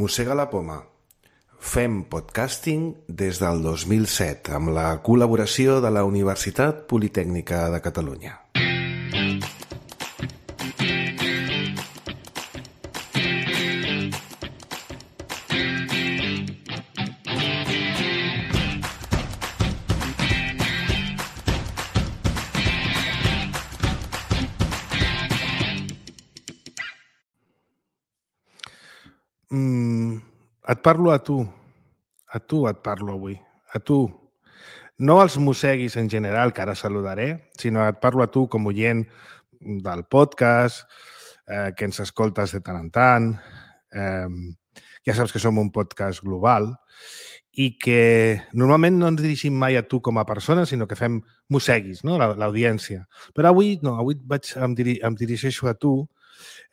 Mossega la poma. Fem podcasting des del 2007 amb la col·laboració de la Universitat Politècnica de Catalunya. Et parlo a tu. A tu et parlo avui. A tu. No els mosseguis en general, que ara saludaré, sinó et parlo a tu com oient del podcast, que ens escoltes de tant en tant. Ja saps que som un podcast global i que normalment no ens dirigim mai a tu com a persona, sinó que fem mosseguis, no? L'audiència. Però avui no, avui em dirigeixo a tu,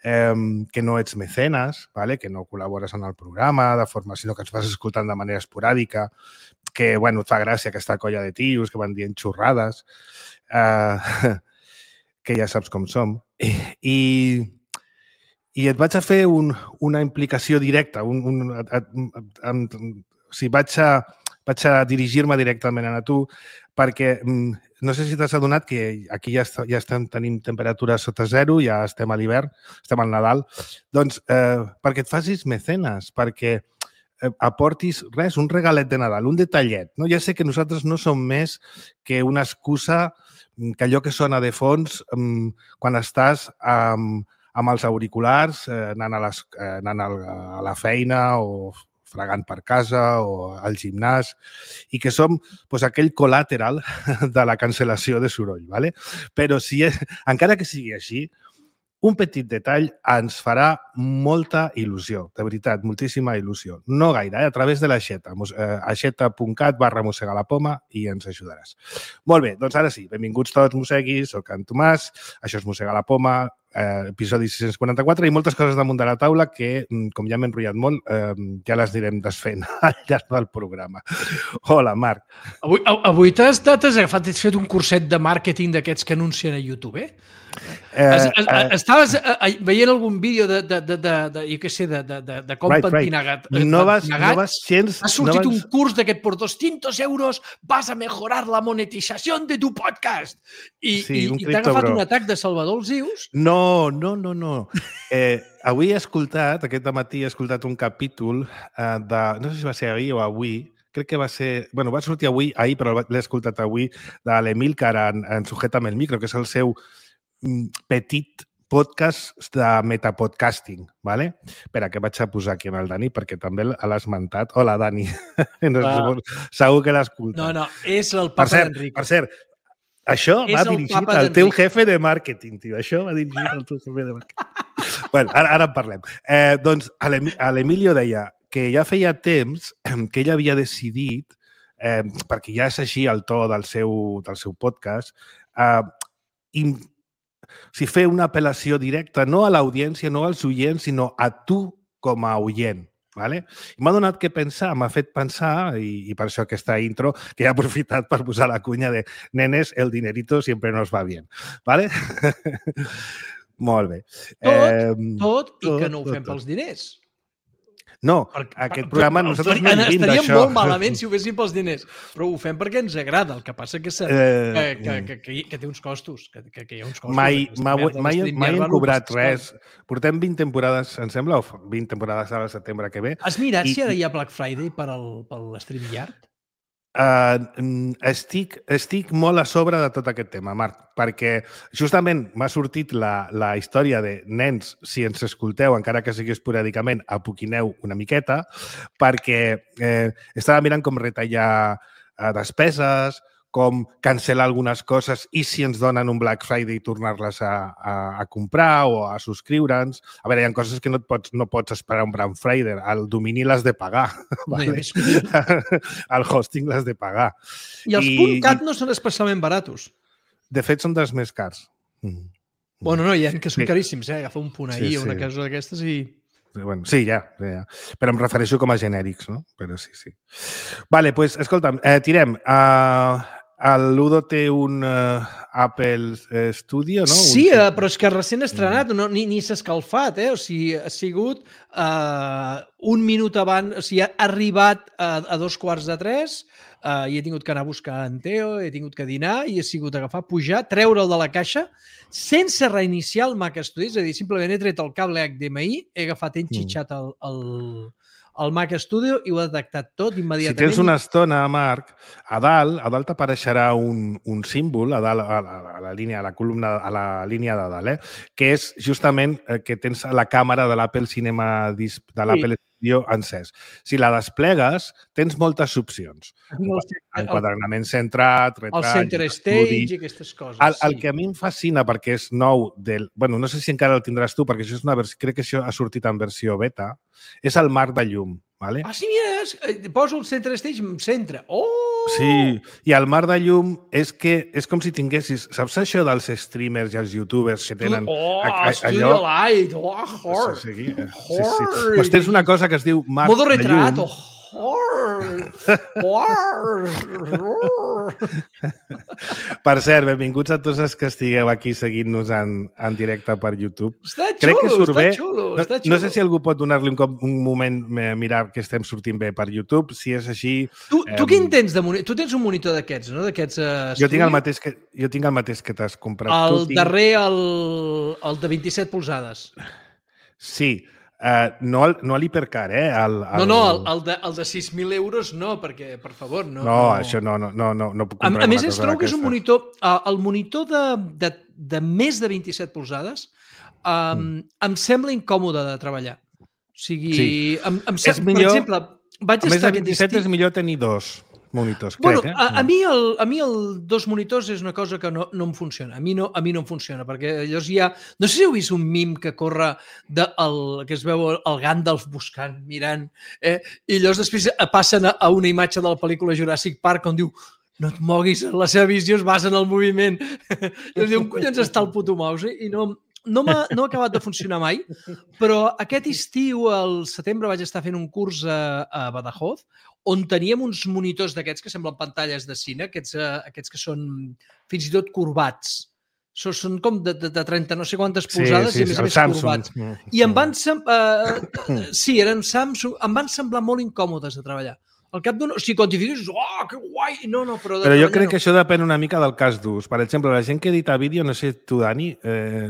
que no ets mecenes, ¿vale? Que no col·labores en el programa de forma, sinó que ens vas escoltant de manera esporàdica, que, bueno, et fa gràcia aquesta colla de tios que van dient xorrades, que ja saps com som. I et vaig a fer una implicació directa, vaig a dirigir-me directament a tu, perquè no sé si t'has adonat que aquí ja estem tenint temperatures sota zero, ja estem a l'hivern, estem al Nadal, doncs perquè et facis mecenes, perquè aportis res, un regalet de Nadal, un detallet. No? Ja sé que nosaltres no som més que una excusa, que allò que sona de fons quan estàs amb els auriculars, anant a la feina o fregant per casa o al gimnàs, i que som aquell col·lateral de la cancel·lació de soroll. ¿Vale? Però encara que sigui així, un petit detall ens farà molta il·lusió, de veritat, moltíssima il·lusió. No gaire, a través de l'aixeta, aixeta.cat/mossegalapoma i ens ajudaràs. Molt bé, doncs ara sí, benvinguts tots, mosseguis, soc en Tomàs, això és Mossega la Poma, episodi 644 i moltes coses damunt de la taula que, com ja m'he enrotllat molt, ja les anirem desfent al llarg del programa. Hola, Marc. Avui t'has fet un curset de màrqueting d'aquests que anuncien a YouTube, eh? Estaves veient algun vídeo jo què sé, de com pentinagat. No vas gens... Ha sortit un curs de que por 200 euros vas a mejorar la monetización de tu podcast. I t'ha agafat un atac de Salvador els Ius. No. Avui aquest matí he escoltat un capítol de... No sé si va ser ahir o avui, crec que va ser... Bueno, va sortir ahir, però l'he escoltat avui, de l'Emílcar en Sujétame el micro, que és el seu petit podcast de metapodcasting, ¿vale? Espera, que vaig a posar aquí en el Dani, perquè també l'ha esmentat. Hola, Dani. Segur que l'ha escoltat. No, és el papa d'Enrico. Per cert, això va dirigit al teu jefe de màrqueting, tio. Això va dirigit al teu jefe de màrqueting. Bueno, ara en parlem. Doncs l'Emilio deia que ja feia temps que ell havia decidit, perquè ja és així el to del seu podcast, fer una apel·lació directa, no a l'audiència, no als oients, sinó a tu com a oient. ¿Vale? M'ha donat que pensar, m'ha fet pensar, i per això aquesta intro, que he aprofitat per posar la cunya de nenes, el dinerito siempre nos va bien. ¿Vale? Molt bé. Tot i que no ho fem pels diners. No, aquest programa nosaltres no vivim d'això. Estaríem molt malament si ho féssim pels diners, però ho fem perquè ens agrada. El que passa que té uns costos. Que hi ha uns costos. Mai hem cobrat res. Portem 20 temporades, em sembla, o 20 temporades al setembre que ve. Has mirat si ara hi ha Black Friday per l'StreamYard? Estic molt a sobre de tot aquest tema, Marc, perquè justament m'ha sortit la història de nens, si ens escolteu, encara que sigui esporàdicament, apoquineu una miqueta, perquè estava mirant com retallar despeses, com cancel·lar algunes coses i si ens donen un Black Friday tornar-les a comprar o a subscriure'ns. A veure, hi ha coses que no pots esperar un Black Friday. El domini l'has de pagar. Vale? El hosting l'has de pagar. I els .cat no són especialment baratos. De fet, són dels més cars. Bueno, no, hi ha que són caríssims. Agafa un punt ahir o una cosa d'aquestes i... Bueno, sí, ja. Però em refereixo com a genèrics, no? Però sí. Vale, doncs, escolta'm, tirem. L'Udo té un Apple Studio, no? Sí, però és que recent estrenat, ni s'ha escalfat, O sigui, ha sigut un minut abans, o sigui, ha arribat a 2:15, i he tingut que anar a buscar en Teo, he tingut que dinar i he sigut agafar, pujar, treure'l de la caixa sense reiniciar el Mac Studio, és a dir, simplement he tret el cable HDMI, he agafat, he enxitxat el Mac Studio i ho ha detectat tot immediatament. Si tens una estona, Marc, a dalt t'apareixerà un símbol a dalt, a la línia, a la columna, a la línia de dalt, que és justament que tens la càmera de l'Apple Cinema Disc, de l'Apple Studio encès. Si la desplegues, tens moltes opcions. Enquadernament centrat, retall... El center stage i aquestes coses. El que a mi em fascina, perquè és nou, no sé si encara el tindràs tu, perquè això és una versió, crec que això ha sortit en versió beta, és el marc de llum. Vale? Ah, sí, mira, poso el center stage en centre. Oh! Sí, i el mar de llum és que és com si tinguessis... Saps això dels streamers i els youtubers que tenen... Studio Light! Horror! Sí. Pues tens una cosa que es diu mar Modo de retrato! llum. Per cert, benvinguts a tots els que estigueu aquí seguint-nos en directe per YouTube. Està xulo. No sé si algú pot donar-li un moment mirar que estem sortint bé per YouTube. Si és així... Tu quin tens de monitor? Tu tens un monitor d'aquests, no? Jo tinc el mateix que t'has comprat. El darrer, el de 27 polzades. Sí. No l'hipercar, el de 6.000 euros no, perquè, per favor, no. No, això no puc comprar. A més, es trobo que és un monitor... El monitor de més de 27 polzades em sembla incòmode de treballar. O sigui, és millor, per exemple, més de 27 és millor tenir dos monitors, crec. A mi el dos monitors és una cosa que no em funciona. A mi no em funciona, perquè llavors hi ha... No sé si heu vist un mim que corre que es veu el Gandalf buscant, mirant, i llavors després passen a una imatge de la pel·lícula Jurassic Park on diu no et moguis, la seva visió es basa en el moviment. I diu, on collons està el puto mouse? I no ha acabat de funcionar mai, però aquest estiu, al setembre, vaig estar fent un curs a Badajoz, on teníem uns monitors d'aquests que semblen pantalles de cine, aquests que són fins i tot corbats. Són com de 30 no sé quantes polzades i a més corbats. I em van eren Samsung, em van semblar molt incòmodes de treballar. Al cap d'un... O sigui, quan t'hi fiques, que guai! No, però jo crec que això depèn una mica del cas d'ús. Per exemple, la gent que edita vídeo, no sé tu, Dani,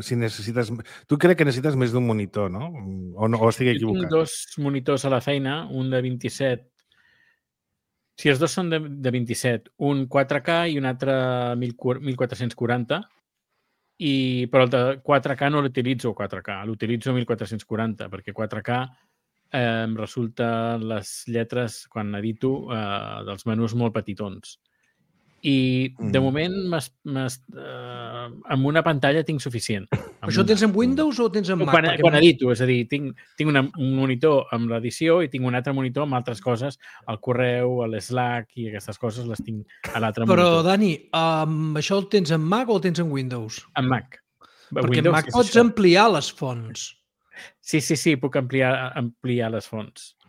si necessites... Tu crec que necessites més d'un monitor, no? O estic equivocat? Tinc dos monitors a la feina, un de 27... Si els dos són de 27, un 4K i un altre 1440, però el de 4K no l'utilitzo 4K, l'utilitzo 1440, perquè 4K em resulta les lletres, quan edito, dels menús molt petitons. I de moment amb una pantalla tinc suficient. Això tens en Windows o tens en Mac? Quan edito, és a dir, tinc un monitor amb l'edició i tinc un altre monitor amb altres coses, el correu, l'Slack i aquestes coses les tinc a l'altre monitor. Però, Dani, això el tens en Mac o el tens en Windows? En Mac. Perquè en Mac pots ampliar les fonts. Sí, puc ampliar les fonts.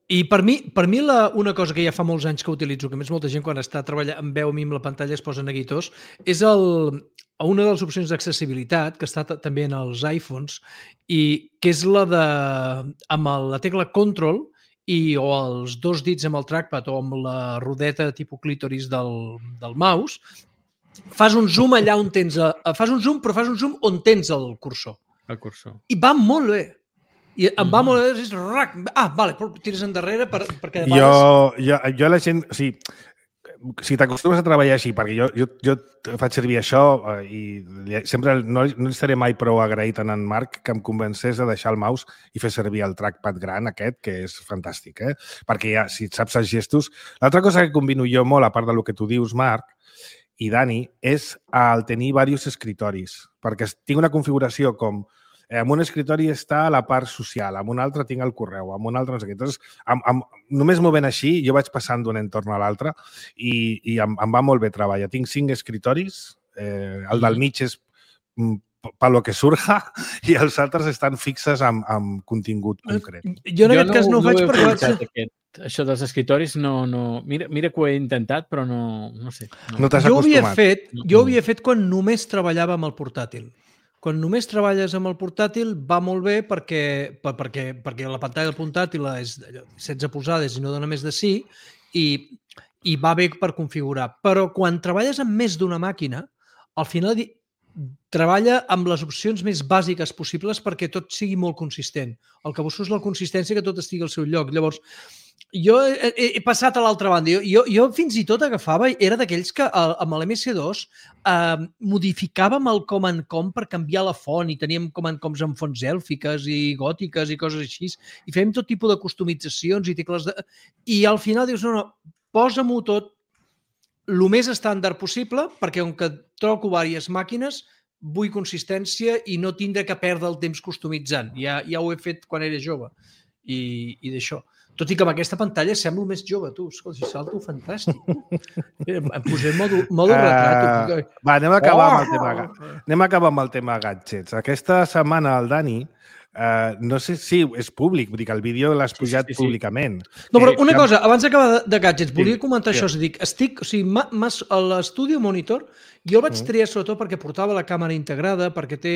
I per mi una cosa que ja fa molts anys que utilitzo, que més molta gent quan està treballant amb veu a mi amb la pantalla es posa neguitós, és una de les opcions d'accessibilitat que està també en els iPhones i que és la de amb la tecla Control o els dos dits amb el trackpad o amb la rodeta tipus clítoris del mouse, fas un zoom allà on tens... Fas un zoom, però fas un zoom on tens el cursor. El cursor. I va molt bé. I em va molt bé, és rac. Vale, però tires endarrere perquè... Jo la gent... O sigui, si t'acostumes a treballar així, perquè jo faig servir això i sempre no estaré mai prou agraït en Marc que em convencés a deixar el mouse i fer servir el trackpad gran aquest, que és fantàstic, perquè ja, si saps els gestos... L'altra cosa que combino jo molt, a part del que tu dius, Marc, i Dani, és el tenir diversos escritoris, perquè tinc una configuració com en un escritori està a la part social, en un altre tinc el correu, en un altre no sé què. Entonces, només movent així, jo vaig passant d'un entorn a l'altre i em va molt bé treballar. Tinc 5 escritoris, el del mig és per lo que surja i els altres estan fixes amb contingut concret. Jo en aquest cas no ho faig perquè això dels escritoris no... Mira que ho he intentat, però no sé. No t'has Jo ho acostumat. havia fet quan només treballava amb el portàtil. Quan només treballes amb el portàtil va molt bé perquè la pantalla del portàtil és 16 polzades i no dona més de sí i va bé per configurar. Però quan treballes amb més d'una màquina, al final treballa amb les opcions més bàsiques possibles perquè tot sigui molt consistent. El que busco és la consistència, que tot estigui al seu lloc. Llavors, jo he passat a l'altra banda. Jo fins i tot agafava, era d'aquells que amb l'MS2 modificàvem el Command Com per canviar la font i teníem Command Coms amb fonts èlfiques i gòtiques i coses així i fèiem tot tipus de customitzacions i tecles i al final dius, no, posa-m'ho tot el més estàndard possible perquè com que troco diverses màquines vull consistència i no tindre que perdre el temps customitzant. Ja ho he fet quan era jove i d'això. Tot i que amb aquesta pantalla semblo més jove, tu. Escolta, salto fantàstic. Em posé modo retrat. Va, anem a acabar amb el tema gadgets. Aquesta setmana el Dani, no sé si és públic, vull dir que el vídeo l'has pujat públicament. No, però una cosa, abans d'acabar de gadgets, volia comentar això. A l'Studio Monitor jo el vaig triar sobretot perquè portava la càmera integrada, perquè té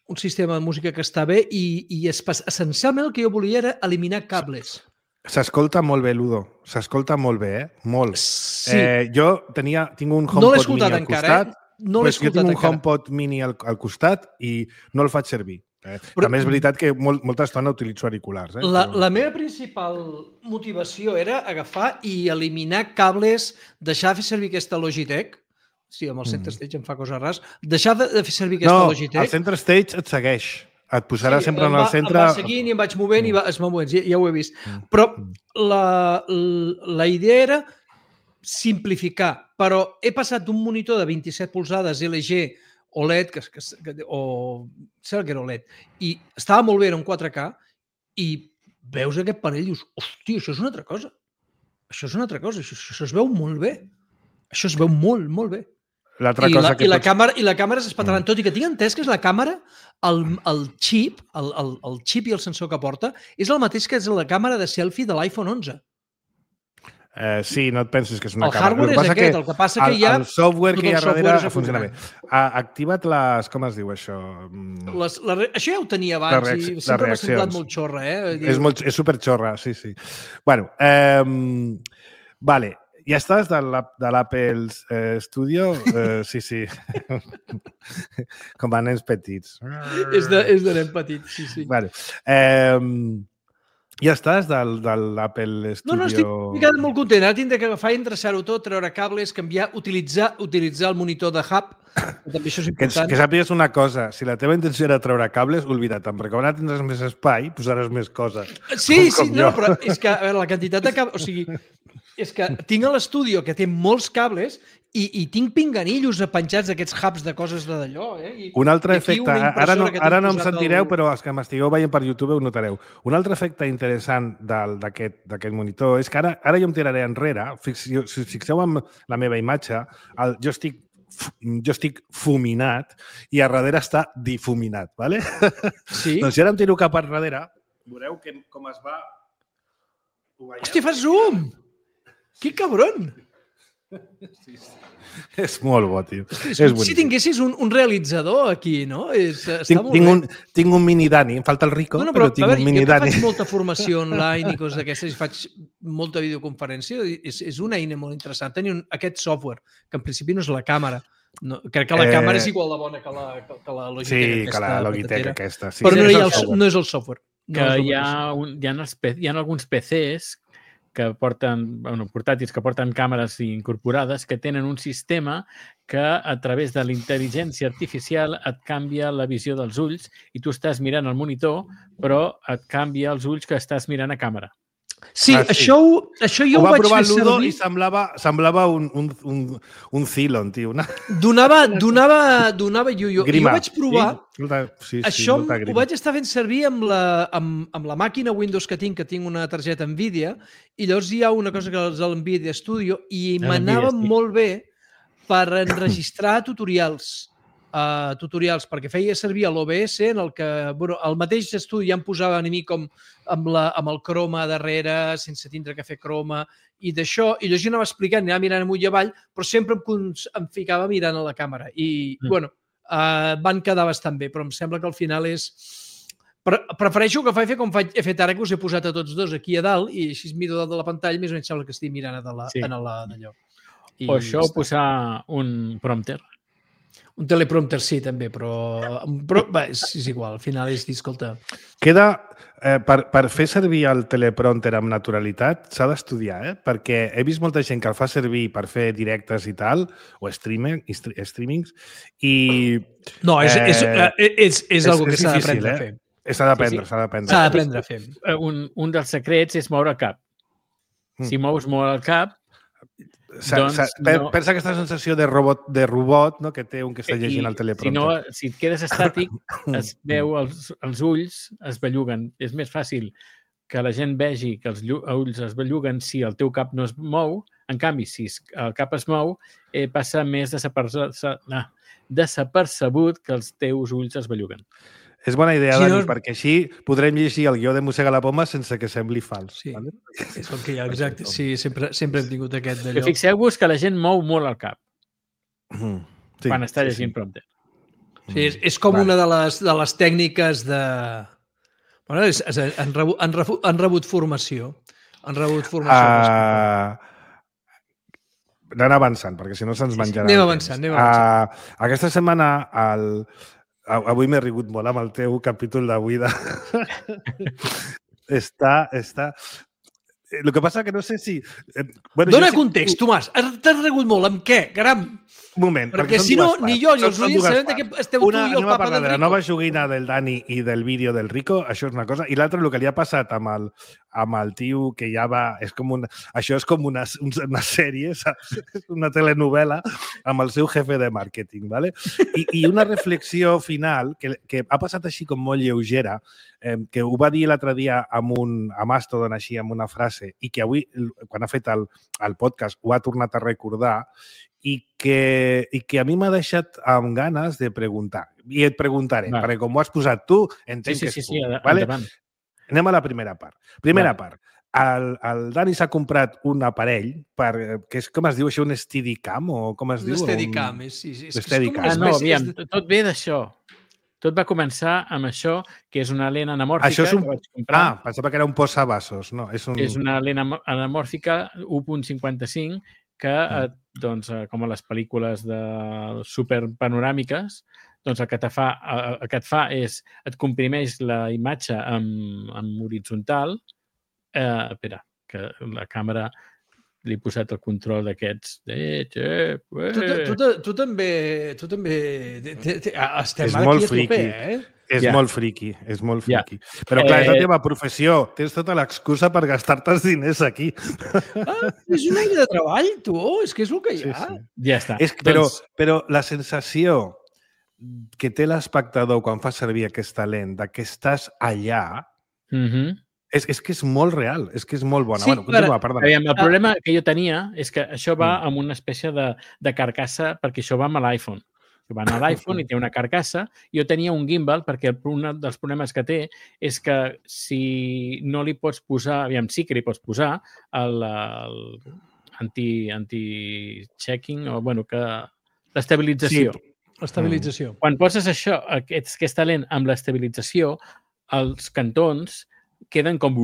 un sistema de música que està bé i essencialment el que jo volia era eliminar cables. S'escolta molt bé, Ludo. S'escolta molt bé, molt. Sí. Jo tinc un HomePod mini al costat. No l'he escoltat encara. Jo tinc un HomePod mini al costat i no el faig servir. Però també és veritat que molta estona utilitzo auriculars. La meva principal motivació era agafar i eliminar cables, deixar de fer servir aquesta Logitech. Sí, amb el Center Stage em fa coses rares. Deixar de fer servir aquesta Logitech. No, el Center Stage et segueix. Et posarà sempre en el centre... Em va seguint i em vaig movent i es va movent. Ja ho he vist. Però la idea era simplificar. Però he passat d'un monitor de 27 polzades LG OLED, o sembla que era OLED, i estava molt bé, era un 4K, i veus aquest panell i dius, hòstia, això és una altra cosa. Això és una altra cosa. Això es veu molt bé. Això es veu molt, molt bé. I la càmera és espectacular. Tot i que tinc entès que és la càmera, el xip i el sensor que porta és el mateix que és la càmera de selfie de l'iPhone 11. Sí, no et pensis que és una càmera. El hardware és aquest, el que passa que ja... El software que hi ha darrere funciona bé. Activa't les... Com es diu això? Això ja ho tenia abans i sempre m'ha semblat molt xorra, És superxorra, sí. Bueno, vale. Ja estàs de l'Apple Studio? Sí. Com a nens petits. És de nen petit, sí. Vale. Ja estàs de l'Apple Studio? No, estic molt content. Ara tindré que agafar i endreçar-ho tot, treure cables, canviar, utilitzar el monitor de hub. També això és important. Que sàpigues una cosa, si la teva intenció era treure cables, oblida't-en, perquè quan ara tindràs més espai, posaràs més coses. Sí, no, però és que, a veure, la quantitat de cables... O sigui, és que tinc a l'estudi que té molts cables i tinc pinganillos penjats d'aquests hubs de coses d'allò. Un altre efecte, ara no em sentireu, però els que m'estigueu veient per YouTube ho notareu. Un altre efecte interessant d'aquest monitor és que ara jo em tiraré enrere, si us fixeu en la meva imatge, jo estic fuminat i a darrere està difuminat, ¿vale? Sí. Doncs si ara em tiro cap a darrere, veureu com es va... Hòstia, fas zoom! Que cabron! Sí. És molt bo, tio. Si tinguessis un realitzador aquí, no? Està molt bé. Tinc un mini Dani, em falta el Rico, però tinc un mini Dani. Jo faig molta formació online i coses d'aquestes, i faig molta videoconferència, és una eina molt interessant. Tenir aquest software, que en principi no és la càmera. Crec que la càmera és igual de bona que la Logitech. Sí, que la Logitech aquesta. Però no és el software. Hi ha alguns PCs que porten, portàtils que porten càmeres incorporades que tenen un sistema que a través de la intel·ligència artificial et canvia la visió dels ulls i tu estàs mirant el monitor però et canvia els ulls que estàs mirant a càmera. Sí, això jo ho vaig fer servir. I semblava un Cylon, tio. Donava jo vaig provar. Això ho vaig estar fent servir amb la màquina Windows que tinc una targeta NVIDIA, i llavors hi ha una cosa que és l'NVIDIA Studio i m'anava molt bé per enregistrar tutorials tutorials perquè feia servir l'OBS en el que el mateix estudi ja em posava a mi com amb el croma darrere, sense tindre que fer croma i d'això, i jo anava explicant, anava mirant amunt i avall, però sempre em ficava mirant a la càmera i, van quedar bastant bé, però em sembla que al final és... Prefereixo que faig com he fet ara, que us he posat a tots dos aquí a dalt i així miro dalt de la pantalla, més o menys sembla que estic mirant d'allò. O això, posar un prompter. Un teleprompter sí, també, però és igual, al final és dir, escolta... Queda, per fer servir el teleprompter amb naturalitat, s'ha d'estudiar, perquè he vist molta gent que el fa servir per fer directes i tal, o streamings, i... No, és algo que s'ha d'aprendre a fer. S'ha d'aprendre, s'ha d'aprendre a fer. Un dels secrets és moure el cap. Si mous molt el cap, pensa aquesta sensació de robot, no, que té un que està llegint el teleprompter. Si et quedes estàtic, es veu els ulls es belluguen. És més fàcil que la gent vegi que els ulls es belluguen si el teu cap no es mou. En canvi, si el cap es mou, passa més desapercebut que els teus ulls es belluguen. És bona idea, Dani, perquè així podrem llegir el guió de Mossega la Poma sense que sembli fals. Sí, és el que hi ha, exacte. Sí, sempre hem tingut aquest d'allò. Fixeu-vos que la gent mou molt el cap quan està llegint prompter. Sí, és com una de les tècniques de... Bueno, han rebut formació. Han rebut formació. Anem avançant, perquè si no se'ns menjarà. Anem avançant. Aquesta setmana avui m'he rigut molt amb el teu capítol d'avui de... Està... El que passa que no sé si... Dóna context, Tomàs. T'has rigut molt. Amb què? Caram! Un moment. Perquè si no, ni jo ni els oients sabem de què esteu tu i el papa del Rico. La nova joguina del Dani i del vídeo del Rico, això és una cosa. I l'altra, el que li ha passat amb el tio que ja va... Això és com una sèrie, saps? Una telenovela amb el seu jefe de màrqueting, ¿vale? I una reflexió final que ha passat així com molt lleugera, que ho va dir l'altre dia a Mastodon així, amb una frase, i que avui, quan ha fet el podcast, ho ha tornat a recordar, i que a mi m'ha deixat amb ganes de preguntar. I et preguntaré, perquè com ho has posat tu, entenc que és tu. Vale? Anem a la primera part. Part. El Dani s'ha comprat un aparell que és, com es diu això, un Steadicam? O com es diu? Un Steadicam, sí. No, aviam, tot ve d'això. Tot va començar amb això, que és una lent anamòrfica. Això és un... que vaig comprar. Pensava que era un posavasos. No, és una lent anamòrfica 1.55 que, doncs, com a les pel·lícules de superpanoràmiques, doncs el que et fa és et comprimeix la imatge en horitzontal. Espera, que la càmera li he posat el control d'aquests. Tu també estem ara aquí a tope, És molt friqui. Però clar, és la teva professió. Tens tota l'excusa per gastar-te els diners aquí. És una eina de treball, tu. És que és el que hi ha. Ja està. Però la sensació que té l'espectador quan fa servir aquesta lent, que estàs allà, és que és molt real, és que és molt bona. Continua, perdona. El problema que jo tenia és que això va amb una espècie de carcassa, perquè això va amb l'iPhone. Va a l'iPhone i té una carcassa. Jo tenia un gimbal perquè un dels problemes que té és que si no li pots posar, sí que li pots posar anti-checking, o l'estabilització. L'estabilització. Quan poses això, aquesta lent amb l'estabilització, els cantons queden com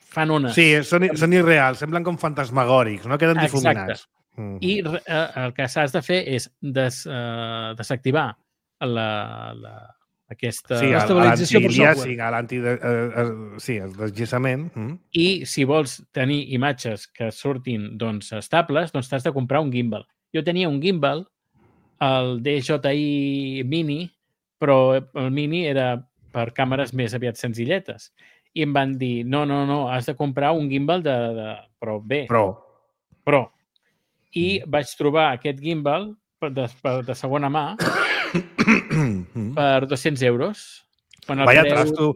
fan ones. Sí, són irreals, semblen com fantasmagòrics, no? Queden difuminats. I el que s'has de fer és desactivar aquesta estabilització per software. El desguissament. I si vols tenir imatges que surtin estables, doncs t'has de comprar un gimbal. Jo tenia un gimbal, el DJI Mini, però el Mini era per càmeres més aviat senzilletes. I em van dir, no, has de comprar un gimbal però bé. Pro. I vaig trobar aquest gimbal de segona mà per 200 euros. Vaya trasto.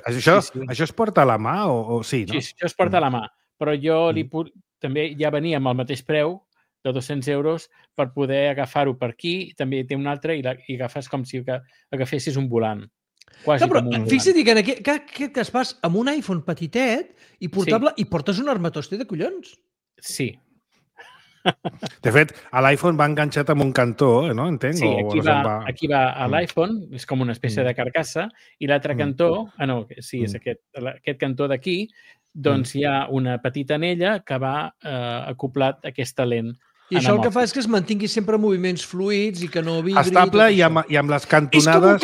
Això es porta a la mà o sí, no? Sí, això es porta a la mà. Però jo també ja venia amb el mateix preu de 200 euros per poder agafar-ho per aquí, també té un altre i agafes com si agafessis un volant. Quasi No, però com un volant. fixa't que en aquest cas vas amb un iPhone petitet i portable i portes un armatoste de collons. Sí. De fet, a l'iPhone va enganxat amb un cantó, no? Entenc? Sí, aquí va a l'iPhone, és com una espècie de carcassa, i l'altre cantó, és aquest cantó d'aquí, doncs hi ha una petita anella que va acoplat a aquesta lent. I això el que fa és que es mantingui sempre moviments fluids i que no vibri. Estable i amb les cantonades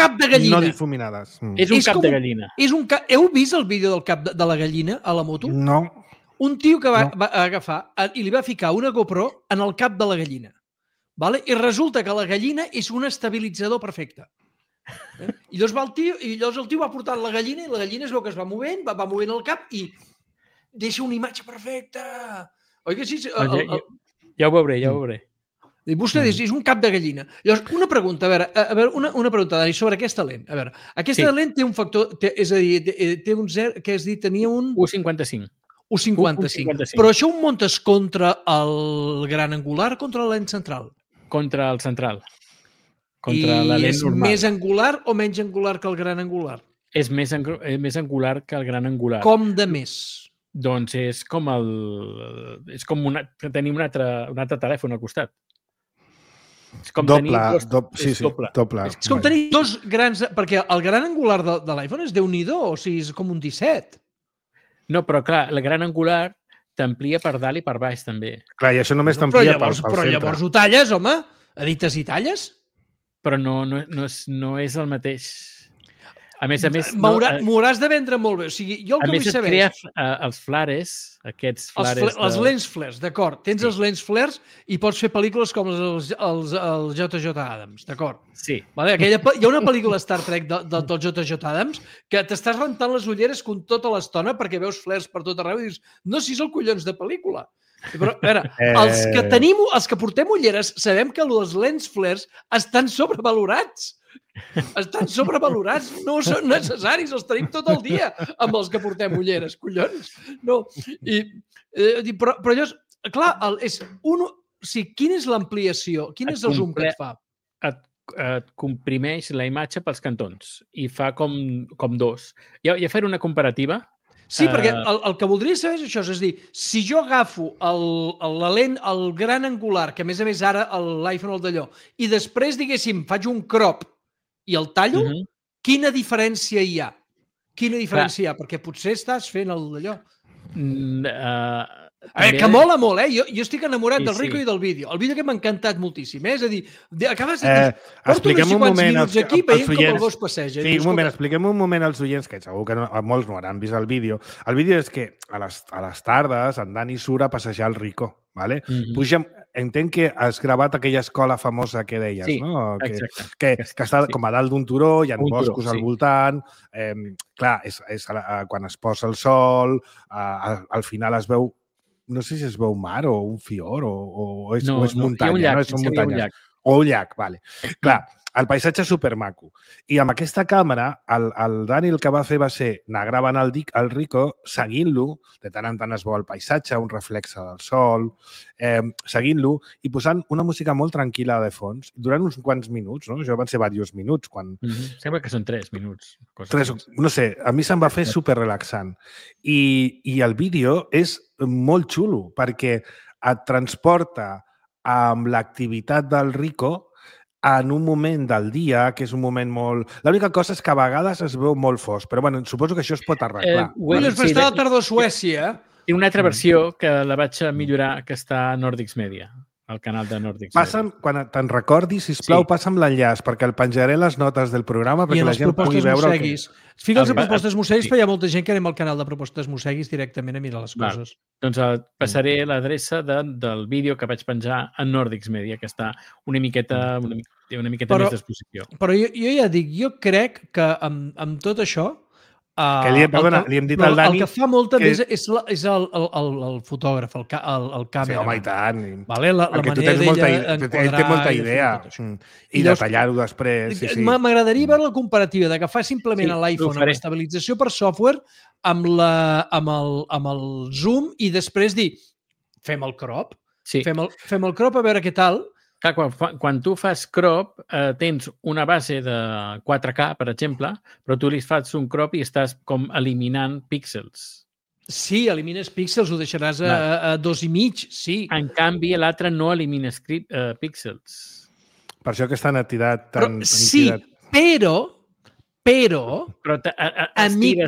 no difuminades. És un cap de gallina. Heu vist el vídeo del cap de la gallina a la moto? No. Un tio que va agafar i li va ficar una GoPro en el cap de la gallina. Vale? I resulta que la gallina és un estabilitzador perfecte. I llavors el tio va portant la gallina i la gallina es veu que es va movent, va movent el cap i deixa una imatge perfecta. Oi que sí? Ja ho veuré. I vostè diu, és un cap de gallina. Llavors, una pregunta, una pregunta, Dani, sobre aquesta lent. A veure, aquesta lent té un factor, és a dir, té un 0, que has dit, tenia un... 1,55. 1,55. Però això ho muntes contra el gran angular o contra la lent central? Contra el central. Contra la lent normal. I és més angular o menys angular que el gran angular? És més angular que el gran angular. Com de més? Doncs és com tenir un altre telèfon al costat. És com doble. Doble. És com tenir dos grans... Perquè el gran angular de l'iPhone és Déu-n'hi-do, o sigui, és com un 17. No, però clar, el gran angular t'amplia per dalt i per baix, també. Clar, i això només t'amplia pel centre. Però llavors ho talles, home? Edites i talles? Però no és el mateix. A més... M'ho hauràs de vendre molt bé. O sigui, jo el que vull saber... A més, et crea els flares, aquests flares... Els lens flares, d'acord. Tens els lens flares i pots fer pel·lícules com els J.J. Abrams, d'acord? Sí. Vale? Hi ha una pel·lícula Star Trek del J.J. Abrams que t'estàs rentant les ulleres tota l'estona perquè veus flares per tot arreu i dius, no, si és el collons de pel·lícula. Però, a veure, els que portem ulleres sabem que els lens flares estan sobrevalorats. Estan sobrevalorats, no són necessaris, els tenim tot el dia amb els que portem ulleres, collons. No. Però llavors, clar, quina és l'ampliació? Quin és el zoom que et fa? Et comprimeix la imatge pels cantons i fa com dos. Ja faré una comparativa. Sí, perquè el que voldria saber és això, és a dir, si jo agafo la lent, el gran angular, que a més ara l'iPhone el d'allò, i després, diguéssim, faig un crop i el tallo, quina diferència hi ha? Quina diferència hi ha? Perquè potser estàs fent el d'allò. Que mola molt, Jo estic enamorat del Rico i del vídeo. El vídeo que m'ha encantat moltíssim, És a dir, acabes de dir, porto uns quants minuts aquí veient com el gos passeja. Sí, un moment, expliquem un moment als oients, que segur que molts no hauran vist el vídeo. El vídeo és que a les tardes en Dani surt a passejar el Rico, ¿vale? Pugem, entenc que has gravat aquella escola famosa que deies, no? Que està com a dalt d'un turó, hi ha boscos al voltant, clar, és quan es posa el sol, al final es veu, no sé si es veu mar o un fiord o és muntanya. Hi ha un llac. O un llac, vale. Clar, el paisatge és supermaco. I amb aquesta càmera, el Dani el que va fer va ser anar gravant el Rico, seguint-lo, de tant en tant es veu el paisatge, un reflexe del sol, seguint-lo i posant una música molt tranquil·la de fons, durant uns quants minuts, no? Això van ser diversos minuts. Sembla que són 3 minuts. No sé, a mi se'm va fer superrelaxant. I el vídeo és molt xulo, perquè et transporta amb l'activitat del Rico en un moment del dia, que és un moment molt... L'única cosa és que a vegades es veu molt fosc, però bueno, suposo que això es pot arreglar. Està a la tardor a Suècia. Tinc una altra versió que la vaig millorar, que està a Nordics Media, al canal de Nordics Media. Quan te'n recordis, sisplau, passa'm l'enllaç, perquè el penjaré a les notes del programa perquè la gent pugui veure el que... Fica'ls a Propostes Mosseguis, perquè hi ha molta gent que anem al canal de Propostes Mosseguis directament a mirar les coses. Doncs passaré l'adreça del vídeo que vaig penjar a Nordics Media, que està una miqueta més d'exposició. Però jo ja dic, jo crec que amb tot això... li hem dit al Dani... El que fa molta més és el fotògraf, el càmera. Sí, home, i tant. La manera d'ella enquadrar... Ell té molta idea. I de tallar-ho després. M'agradaria veure la comparativa d'agafar simplement l'iPhone amb estabilització per software amb el zoom i després dir, fem el crop. Sí. Fem el crop a veure què tal. Clar, quan tu fas crop, tens una base de 4K, per exemple, però tu li fas un crop i estàs com eliminant píxels. Sí, elimines píxels, ho deixaràs a 2,5, sí. En canvi, l'altre no elimines píxels. Per això aquesta netidat tan... Sí, però amic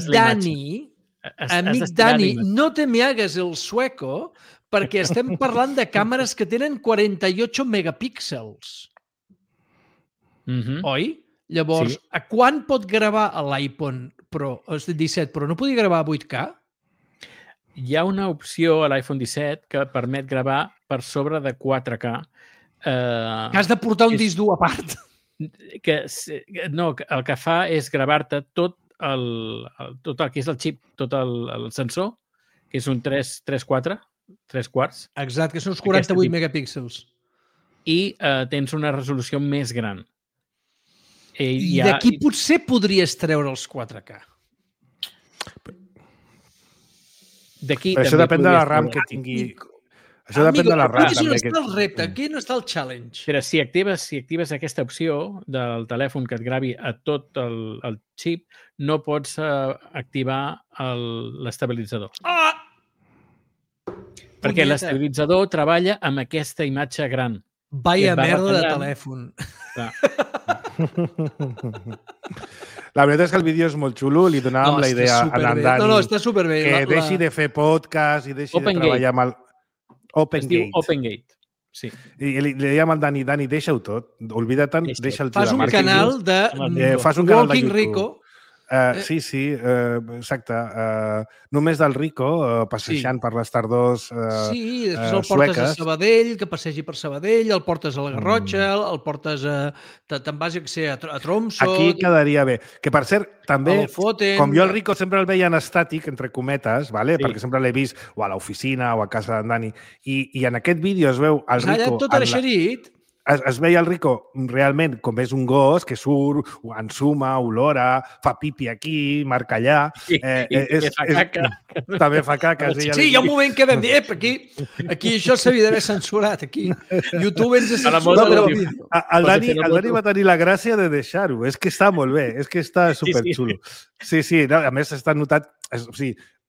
Dani, no te me hagas el sueco perquè estem parlant de càmeres que tenen 48 megapíxels. Oi? Llavors, a quant pot gravar l'iPhone Pro, el 17 Pro? No podia gravar a 8K? Hi ha una opció a l'iPhone 17 que permet gravar per sobre de 4K. Que has de portar un disc dur a part. No, el que fa és gravar-te tot el que és el xip, tot el sensor, que és un 3/4, 3/4. Exacte, que són uns 48 megapíxels. I tens una resolució més gran. I d'aquí potser podries treure els 4K. Però això depèn de la RAM que tingui. Això depèn de la RAM. Aquí no està el repte, aquí no està el challenge. Però si actives aquesta opció del telèfon que et gravi a tot el xip, no pots activar l'estabilitzador. Perquè l'estabilitzador treballa amb aquesta imatge gran. Vaya merda de telèfon. La veritat és que el vídeo és molt xulo, li donàvem la idea a l'Andani està superbé. Que deixi de fer podcast i deixi de treballar amb el OpenGate. OpenGate, sí. I li dèiem al Dani, deixa-ho tot, oblida-te'n, deixa el tio de màrqueting. Fas un canal de YouTube. Rico. Sí, exacte. Només del Rico, passejant per les tardors sí, després el portes a Sabadell, que passegi per Sabadell, el portes a la Garrotxa, el portes te'n vas a Tromsø... Aquí quedaria bé. Que, per cert, també, com jo el Rico sempre el veia en estàtic, entre cometes, perquè sempre l'he vist o a l'oficina o a casa d'en Dani, i en aquest vídeo es veu el Rico... Allà tot eixerit... Es veia el Rico realment com és un gos que surt, ensuma, olora, fa pipi aquí, marca allà... I fa caca. També fa caca. Sí, hi ha un moment que vam dir, aquí això s'havia d'haver censurat, aquí. YouTube ens ha censurat el vídeo. El Dani va tenir la gràcia de deixar-ho. És que està molt bé, és que està superxulo. Sí, a més està notat...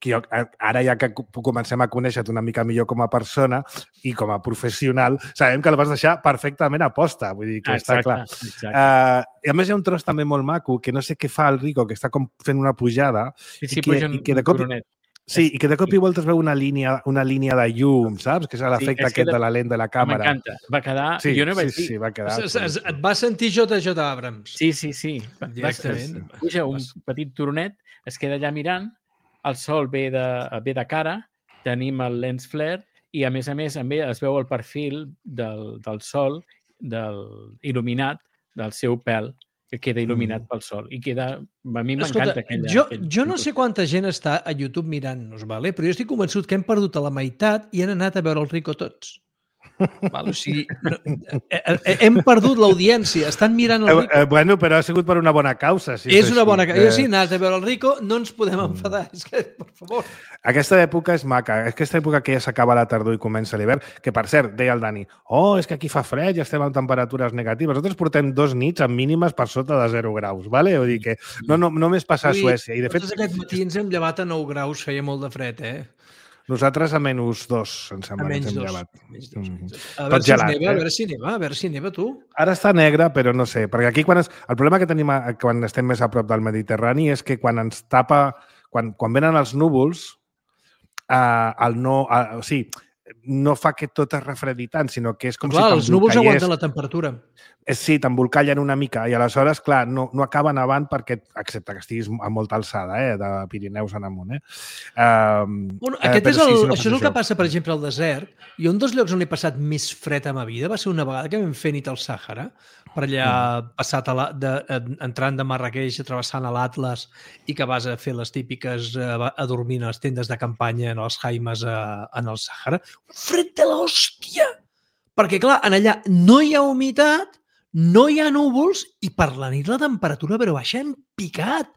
Ara ja que comencem a conèixer-te una mica millor com a persona i com a professional, sabem que el vas deixar perfectament a posta, vull dir que està clar. I a més hi ha un tros també molt maco, que no sé què fa el Rico, que està com fent una pujada i que de cop... Sí, i que de cop i volta es veu una línia de llum, saps? Que és l'efecte aquest de la lent de la càmera. M'encanta. Va quedar... Jo no vaig dir... Sí, va quedar... Et va sentir J.J. Abrams. Sí. Directament. Puja un petit turonet, es queda allà mirant, el sol ve de cara, tenim el lens flare i, a més, es veu el perfil del sol il·luminat del seu pèl, que queda il·luminat pel sol. I queda... A mi m'encanta aquella... Jo no sé quanta gent està a YouTube mirant-nos, però jo estic convençut que hem perdut a la meitat i han anat a veure el Rico tots. O sigui, hem perdut l'audiència, estan mirant el Rico. Bueno, però ha sigut per una bona causa. És una bona causa. Jo sí, anat a veure el Rico, no ens podem enfadar. És que, per favor. Aquesta època és maca. Aquesta època que ja s'acaba la tardor i comença l'hivern, que per cert, deia el Dani, és que aquí fa fred, ja estem amb temperatures negatives. Nosaltres portem 2 nits amb mínimes per sota de 0 graus, vale? Vull dir que no només passa a Suècia. I de fet, aquest matí ens hem llevat a 9 graus, feia molt de fred, Nosaltres a -2, em sembla. A -2. A veure si neva, tu. Ara està negre, però no sé. Perquè aquí el problema que tenim quan estem més a prop del Mediterrani és que quan ens tapa, quan venen els núvols, no fa que tot es refredi tant, sinó que és com si t'embolcallés. Els núvols aguanten la temperatura. Sí, t'embolcallen una mica i aleshores, clar, no acaba nevant perquè, excepte que estiguis a molta alçada, de Pirineus en amunt. Això és el que passa, per exemple, al desert. I un dels llocs on he passat més fred a ma vida va ser una vegada que vam fer nit al Sàhara, per allà entrant de Marrakeix, travessant l'Atlas i que vas a fer les típiques a dormir a les tendes de campanya en els jaimes en el Sàhara. Un fred de l'hòstia! Perquè, clar, en allà no hi ha humitat, no hi ha núvols i per la nit la temperatura però baixa en picat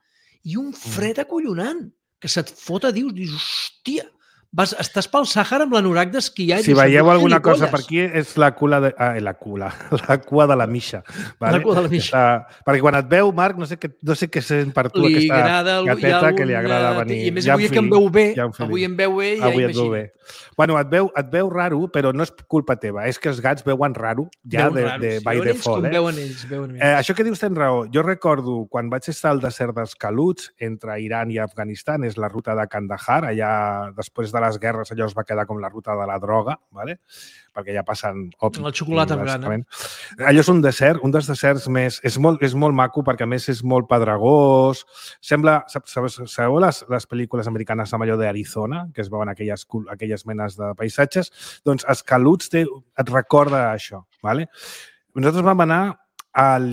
i un fred acollonant que se't fot a dius, hòstia, Estàs pel Sàhara amb l'anorac d'esquiar. Si veieu alguna cosa per aquí, és la cua de la Misha. Vale? La cua de la Misha. Perquè quan et veu, Marc, no sé què sent per tu aquesta gateta que li agrada venir. I a més, avui que em veu bé, avui em veu bé, ja imagino. Bueno, et veu raro, però no és culpa teva. És que els gats veuen raro, ja de by default. Veuen ells. Això que dius tens raó. Jo recordo, quan vaig estar al desert dels Caluts, entre Iran i Afganistan, és la ruta de Kandahar, allà després de les guerres allò es va quedar com la ruta de la droga, ¿vale? Perquè ja passen... El xocolata afgana. Allò és un desert, un dels deserts més... És molt maco perquè, a més, és molt pedregós. Sembla... Sabeu les pel·lícules americanes amb allò d'Arizona, que es veuen aquelles menes de paisatges? Doncs els Caluts et recorda això, ¿vale? Nosaltres vam anar al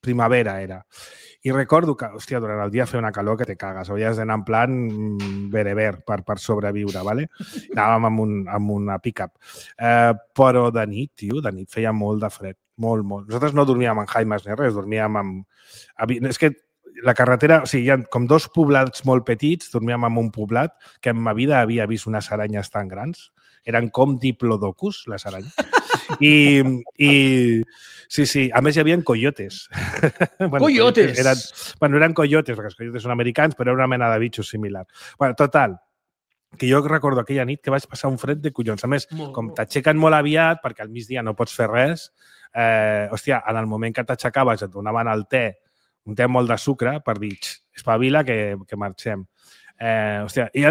primavera, era. I recordo que, hòstia, durant el dia feia una calor que te cagues. Havies d'anar en plan bereber per sobreviure, ¿vale? Anàvem amb una pick-up. Però de nit, tio, feia molt de fred. Molt. Nosaltres no dormíem en Jaimes ni res, dormíem amb... És que la carretera... O sigui, hi ha com dos poblats molt petits, dormíem en un poblat que en ma vida havia vist unes aranyes tan grans. Eren com diplodocus, les aranyes. I sí, a més hi havia coyotes. Coyotes? Eren coyotes, perquè els coyotes són americans, però era una mena de bitxos similar. Total, que jo recordo aquella nit que vaig passar un fred de collons. A més, com t'aixequen molt aviat, perquè al migdia no pots fer res, hòstia, en el moment que t'aixecaves et donaven el te, un te molt de sucre, per dir, espavila que marxem. Hòstia, hi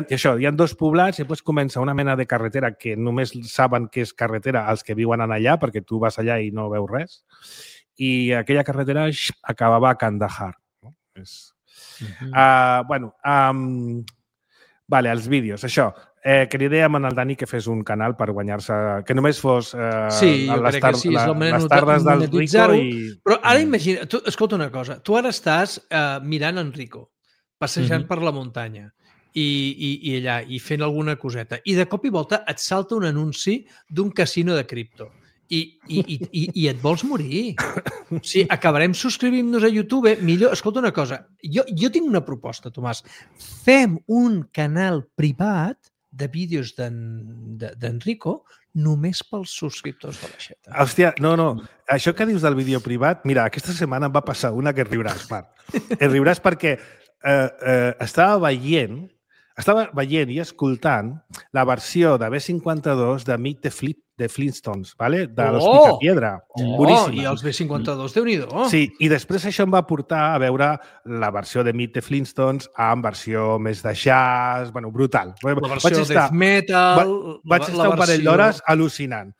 ha dos poblats i després comença una mena de carretera que només saben que és carretera els que viuen allà, perquè tu vas allà i no veus res. I aquella carretera acabava a Kandahar. No? Vale, els vídeos. Això, cridé amb el Dani que fes un canal per guanyar-se... Que només fos les tardes del Rico i... Però ara imagina... Escolta una cosa. Tu ara estàs mirant en Rico, passejant per la muntanya i allà, i fent alguna coseta. I de cop i volta et salta un anunci d'un casino de cripto. I et vols morir. O sigui, acabarem subscrivint-nos a YouTube. Millor, escolta una cosa. Jo tinc una proposta, Tomàs. Fem un canal privat de vídeos d'Enrico només pels subscriptors de l'Aixeta. Hòstia, no. Això que dius del vídeo privat, mira, aquesta setmana em va passar una que riuràs, Marc. Riuràs perquè estava veient i escoltant la versió de B52 de Meet the Flintstones, ¿vale? De los Picapiedra. Boníssima. I els B52, Déu-n'hi-do. Sí, i després això em va portar a veure la versió de Meet the Flintstones en versió més de jazz, bueno, brutal. La versió de death metal... Vaig estar un parell d'hores al·lucinant.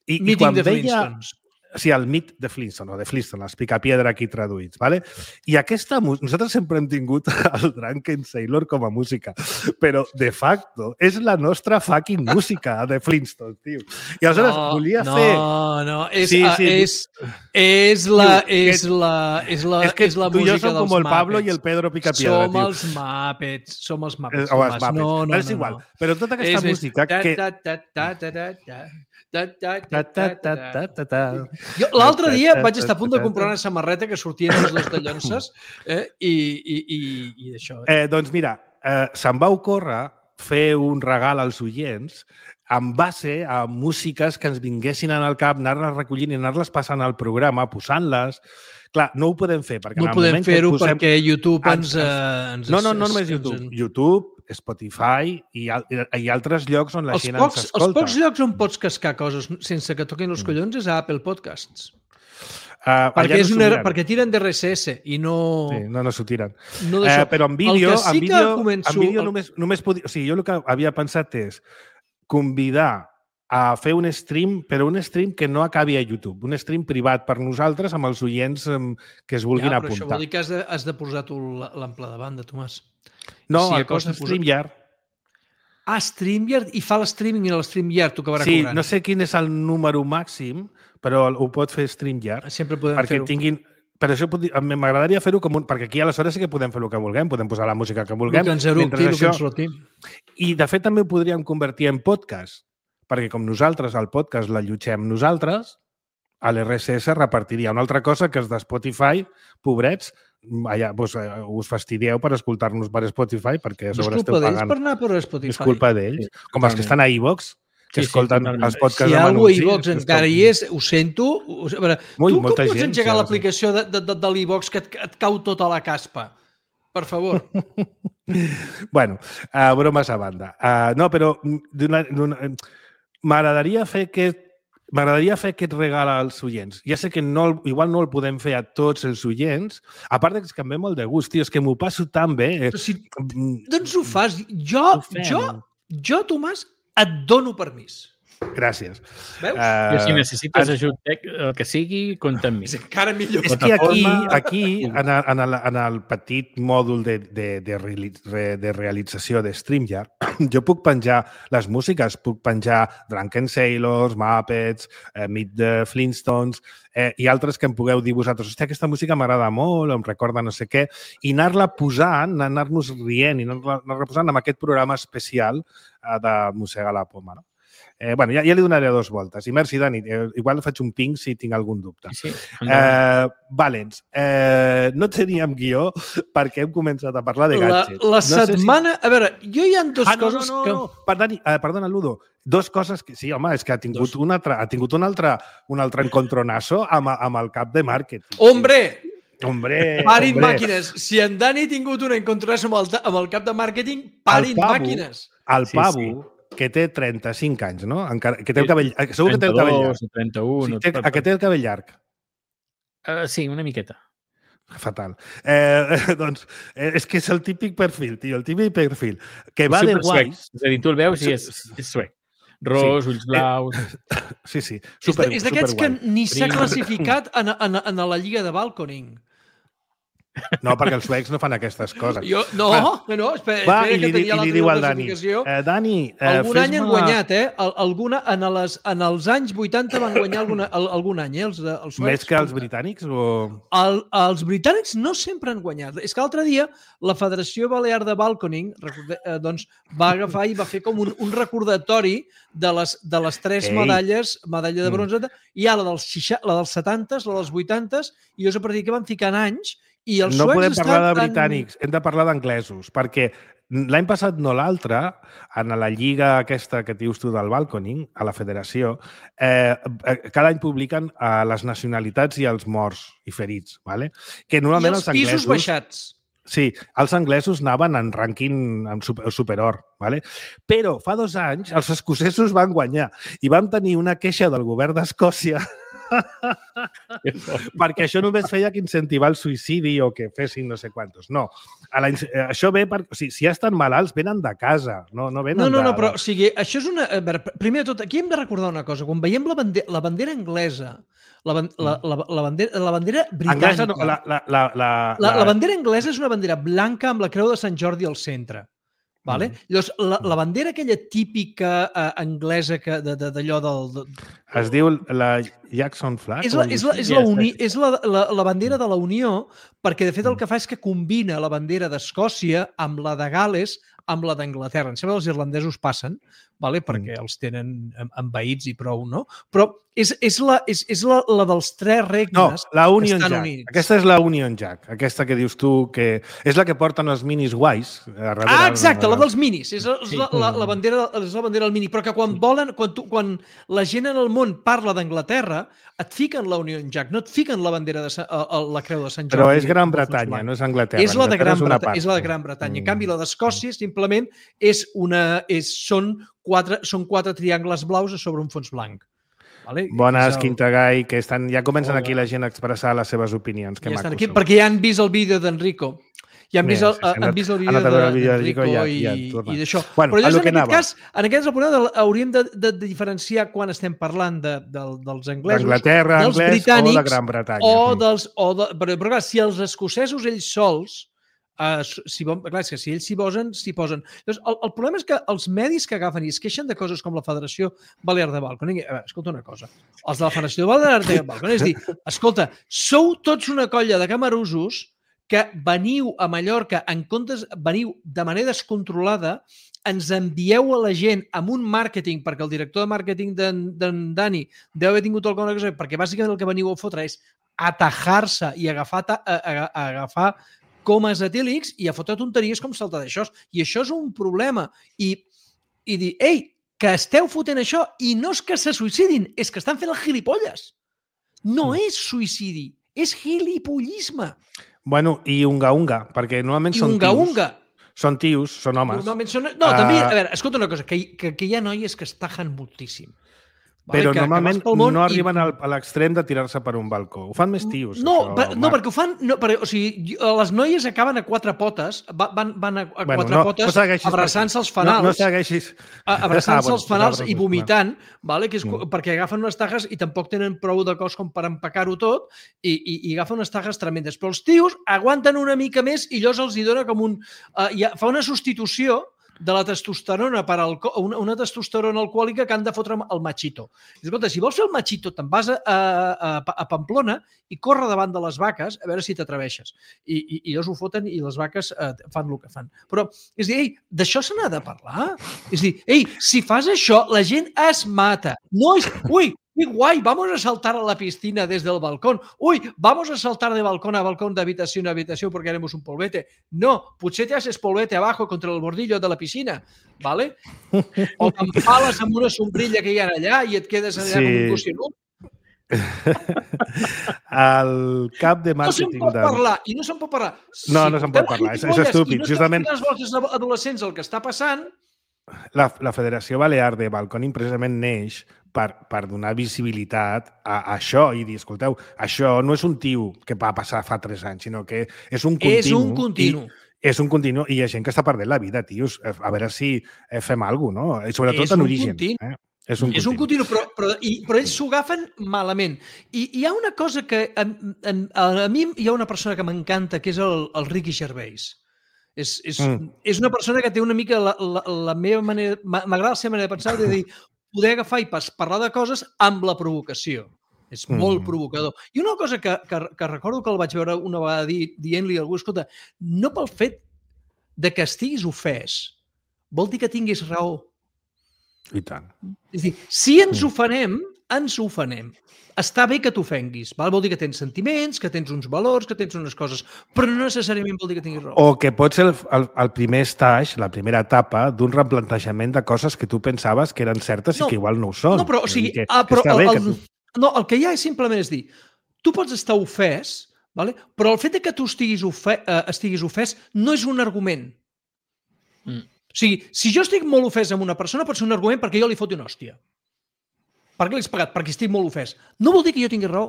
Meeting the Flintstones. Sí, el Meet the Flintstones, o de Flintstones, els Picapiedra aquí traduïts, ¿vale? I nosaltres sempre hem tingut el Drunken Sailor com a música, però de facto és la nostra fucking música de Flintstones, tio. I aleshores volia fer... No, és la música tu i jo som com el Pablo Muppets. I el Pedro Picapiedra, tio. Som els Muppets. No, és igual. Però tota aquesta música que... Jo l'altre dia vaig estar a punt de comprar una samarreta que sortien els dos dallonses i això. Doncs mira, se'm va ocórrer fer un regal als oients en base a músiques que ens vinguessin al cap, anar-les recollint i anar-les passant al programa, posant-les. Clar, no ho podem fer. No podem fer-ho perquè YouTube ens... No només YouTube. YouTube, Spotify i altres llocs on la gent ens escolta. Els pocs llocs on pots cascar coses sense que toquin els collons és a Apple Podcasts. Perquè tiren d'RSS i no... Sí, no s'ho tiren. No però en vídeo només podia... O sigui, jo el que havia pensat és convidar a fer un stream, però un stream que no acabi a YouTube, un stream privat per nosaltres amb els oients que es vulguin apuntar. Però això vol dir que has de posar tu l'ample de banda, Tomàs. No, el cost de StreamYard. StreamYard, i fa l'streaming i l'StreamYard t'ho acabarà cobrant. Sí, no sé quin és el número màxim, però ho pot fer StreamYard. Sempre podem fer-ho. Per això m'agradaria fer-ho com un... Perquè aquí aleshores sí que podem fer el que vulguem, podem posar la música que vulguem. I de fet també ho podríem convertir en podcast, perquè com nosaltres el podcast l'allotgem nosaltres, a l'RSS repartiria una altra cosa que els de Spotify, pobrets, allà us fastidieu per escoltar-nos per Spotify, perquè a No és sobre culpa esteu d'ells pagant. per anar per Spotify. És culpa d'ells. Com els que estan a iVox, que escolten els podcasts Si hi ha amb algú a anuncis. iVox encara hi és, ho sento. A veure, tu com pots engegar l'aplicació de l'iVox que et cau tota la caspa? Per favor. Bueno, bromes a banda. No, però m'agradaria fer aquest regal als oients. Ja sé que igual no el podem fer a tots els oients, a part que em ve molt de gust, tio, és que m'ho passo tan bé. Doncs ho fas. Jo, Tomàs, et dono permís. Gràcies. Veus? I si necessites ajut tec, el que sigui, compta amb mi. És encara millor. És que aquí en el petit mòdul de realització de StreamYard, jo puc penjar les músiques, puc penjar Drunken Sailors, Muppets, Meet the Flintstones i altres que em pugueu dir vosaltres. Hòstia, aquesta música m'agrada molt, em recorda no sé què, i anar-la posant, anar-nos rient i anar-la posant en aquest programa especial de Mossegar la Poma, no? Bueno, ja li donaré 2 voltes. I merci, Dani. Igual faig un ping si tinc algun dubte. Sí. Valens, no teníem guió perquè hem començat a parlar de gadgets. La setmana... A veure, jo hi ha 2 coses que... Perdona, Ludo. 2 coses que... Sí, home, és que ha tingut un altre encontronazo amb el cap de màrqueting. Hombre, parin màquines. Si en Dani ha tingut un encontronazo amb el cap de màrqueting, parin màquines. El pavo, que té 35 anys, no? Que té el cabell... Segur que té el cabell llarg. 31... Que té el cabell llarg. Sí, una miqueta. Fatal. Doncs és que és el típic perfil, tio, el típic perfil. Que va de guais. És a dir, tu el veus i és suec. Ros, ulls blaus... Sí. És d'aquests que ni s'ha classificat en la lliga de balconing. No, perquè els suecs no fan aquestes coses. Espera que tenia la classificació. Dani, algun any han guanyat, en els anys 80 van guanyar algun any, els suecs. Més que els britànics? Els britànics no sempre han guanyat. És que l'altre dia la Federació Balear de Balconing va agafar i va fer com un recordatori de les 3 medalles, medalla de bronze, hi ha la dels 70, la dels 80, i és a partir que van ficant anys. No podem parlar de britànics, hem de parlar d'anglesos, perquè l'any passat, no l'altre, en la lliga aquesta que dius tu del balconing, a la federació, cada any publiquen les nacionalitats i els morts i ferits, ¿vale? Que normalment els pisos baixats. Sí, els anglesos anaven en rànquing superior, ¿vale? Però fa 2 anys els escocesos van guanyar i vam tenir una queixa del govern d'Escòcia perquè això només feia que incentivar el suïcidi o que fessin no sé quantos. No. Això ve per... O sigui, si ja estan malalts, venen de casa. No venen No, però o sigui, això és una... Primer de tot, aquí hem de recordar una cosa. Quan veiem la bandera anglesa, la bandera britànica... La bandera anglesa és una bandera blanca amb la creu de Sant Jordi al centre. Vale? Llavors, la bandera aquella típica anglesa d'allò del... Es diu la Jackson Flag? És la bandera de la Unió, perquè de fet el que fa és que combina la bandera d'Escòcia amb la de Gal·les, amb la d'Anglaterra. Em sembla que els irlandesos passen, perquè els tenen envaïts i prou, no? Però és la dels 3 regnes la Union Jack. Units. Aquesta és la Union Jack, aquesta que dius tu, que és la que porten els minis guais. Exacte, la dels minis. És la bandera del mini. Però que quan la gent en el món parla d'Anglaterra, et fiquen la Union Jack, no et fiquen la bandera la creu de Sant Jordi. Però és Gran Bretanya, no és Anglaterra. És la de Gran Bretanya. En canvi, la d'Escòcia simplement són 4 triangles blaus a sobre un fons blanc. Bones, Quintagai, que ja comencen aquí la gent a expressar les seves opinions. Perquè ja han vist el vídeo d'Enrico. Ja han vist el vídeo d'Enrico i d'això. Però llavors, en aquest cas, el problema hauríem de diferenciar quan estem parlant dels anglesos, d'Anglaterra, anglès o de Gran Bretanya. Però clar, si els escocesos ells sols, si ells s'hi posen. El problema és que els medis que agafen i es queixen de coses com la Federació Balear de Balconing, escolta una cosa, els de la Federació Balear de Balconing, és dir, escolta, sou tots una colla de camarusos que veniu a Mallorca, veniu de manera descontrolada, ens envieu a la gent amb un màrqueting, perquè el director de màrqueting d'en Dani deu haver tingut alguna cosa, perquè bàsicament el que veniu a fotre és atajar-se i agafar comes etílics i a fotre tonteries com saltar d'això. I això és un problema. I dir, ei, que esteu fotent això i no és que se suïcidin, és que estan fent el gilipolles. No és suïcidi, és gilipollisme. Bueno, i unga-unga, perquè normalment són tios. Unga-unga. Són tios, són homes. No, també, a veure, escolta una cosa, que hi ha noies que es tajen moltíssim. Però normalment no arriben a l'extrem de tirar-se per un balcó. Ho fan més tios. No, perquè ho fan... O sigui, les noies acaben a quatre potes, van a quatre potes abraçant-se els fanals. No segueixis. Abraçant-se els fanals i vomitant, perquè agafen unes tajes i tampoc tenen prou de cos com per empacar-ho tot i agafen unes tajes tremendes. Però els tios aguanten una mica més i llavors els hi dona com un... Fa una substitució de la testosterona una testosterona alcohòlica que han de fotre el machito. Escolta, si vols fer el machito, te'n vas a Pamplona i corre davant de les vaques a veure si t'atreveixes. I ells ho foten i les vaques fan el que fan. Però, és dir, ei, d'això se n'ha de parlar. És dir, ei, si fas això, la gent es mata. No és... Ui, ¡qué guay! Vamos a saltar a la piscina desde el balcón. ¡Uy! Vamos a saltar de balcón a balcón, de habitación a habitación porque haremos un polvete. No, potser te haces polvete abajo contra el bordillo de la piscina, ¿vale? O t'empales amb una sombrilla que hi ha allà i et quedes allà com un cocinut. El cap de màrqueting... No se'n pot parlar, i no se'n pot parlar. No se'n pot parlar, és estúpid. Justament... I no estan fent els vostres adolescents el que està passant... La Federació Balear de Balconing precisament neix per donar visibilitat a això i dir, escolteu, això no és un tio que va passar fa 3 anys, sinó que és un continu. És un continu. És un continu i hi ha gent que està perdent la vida, tios. A veure si fem alguna cosa, no? I sobretot en origen. És un continu, però ells s'ho agafen malament. I hi ha una cosa que a mi hi ha una persona que m'encanta, que és el Ricky Gervais. És una persona que té una mica la meva manera... M'agrada la seva manera de pensar, de dir, poder agafar i parlar de coses amb la provocació. És molt provocador. I una cosa que recordo que el vaig veure una vegada dient-li a algú, escolta, no pel fet de que estiguis ofès, vol dir que tinguis raó. I tant. És a dir, si ens ofenem, ens ofenem. Està bé que t'ofenguis, vol dir que tens sentiments, que tens uns valors, que tens unes coses, però no necessàriament vol dir que tinguis raó. O que pot ser el primer stage, la primera etapa d'un replantejament de coses que tu pensaves que eren certes i que igual no ho són. No, però, o sigui, el que hi ha simplement és dir, tu pots estar ofès, però el fet que tu estiguis ofès no és un argument. O sigui, si jo estic molt ofès amb una persona, pot ser un argument perquè jo li foti una hòstia. Per què l'has pagat? Perquè estic molt ofès. No vol dir que jo tingui raó.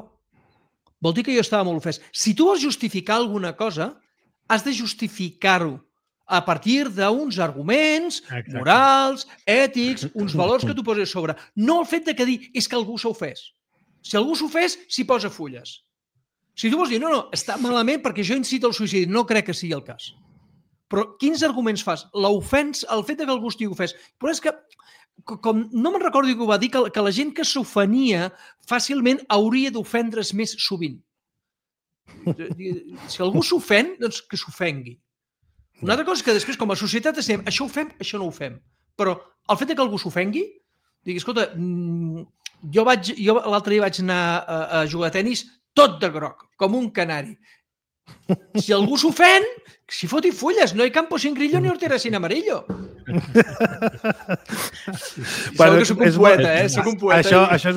Vol dir que jo estava molt ofès. Si tu vols justificar alguna cosa, has de justificar-ho a partir d'uns arguments morals, ètics, uns valors que tu poses a sobre. No el fet que dir és que algú s'ha ofès. Si algú s'ha ofès, s'hi posa fulles. Si tu vols dir, no, està malament perquè jo incito al suïcidi, no crec que sigui el cas. Però quins arguments fas? L'ofensa, el fet que algú estigui ofès. Però és que com no me'n recordo que ho va dir, que la gent que s'ofenia fàcilment hauria d'ofendre's més sovint. Si algú s'ofèn, doncs que s'ofengui. Una altra cosa és que després, com a societat, estem, això ho fem, això no ho fem. Però el fet que algú s'ofengui, digui, escolta, jo l'altre dia vaig anar a jugar a tenis tot de groc, com un canari. Si algú s'ofèn, si foti fulles, no hay campo sin grillo ni hortera sin amarillo. Bueno, que soc un poeta, soc un poeta. Això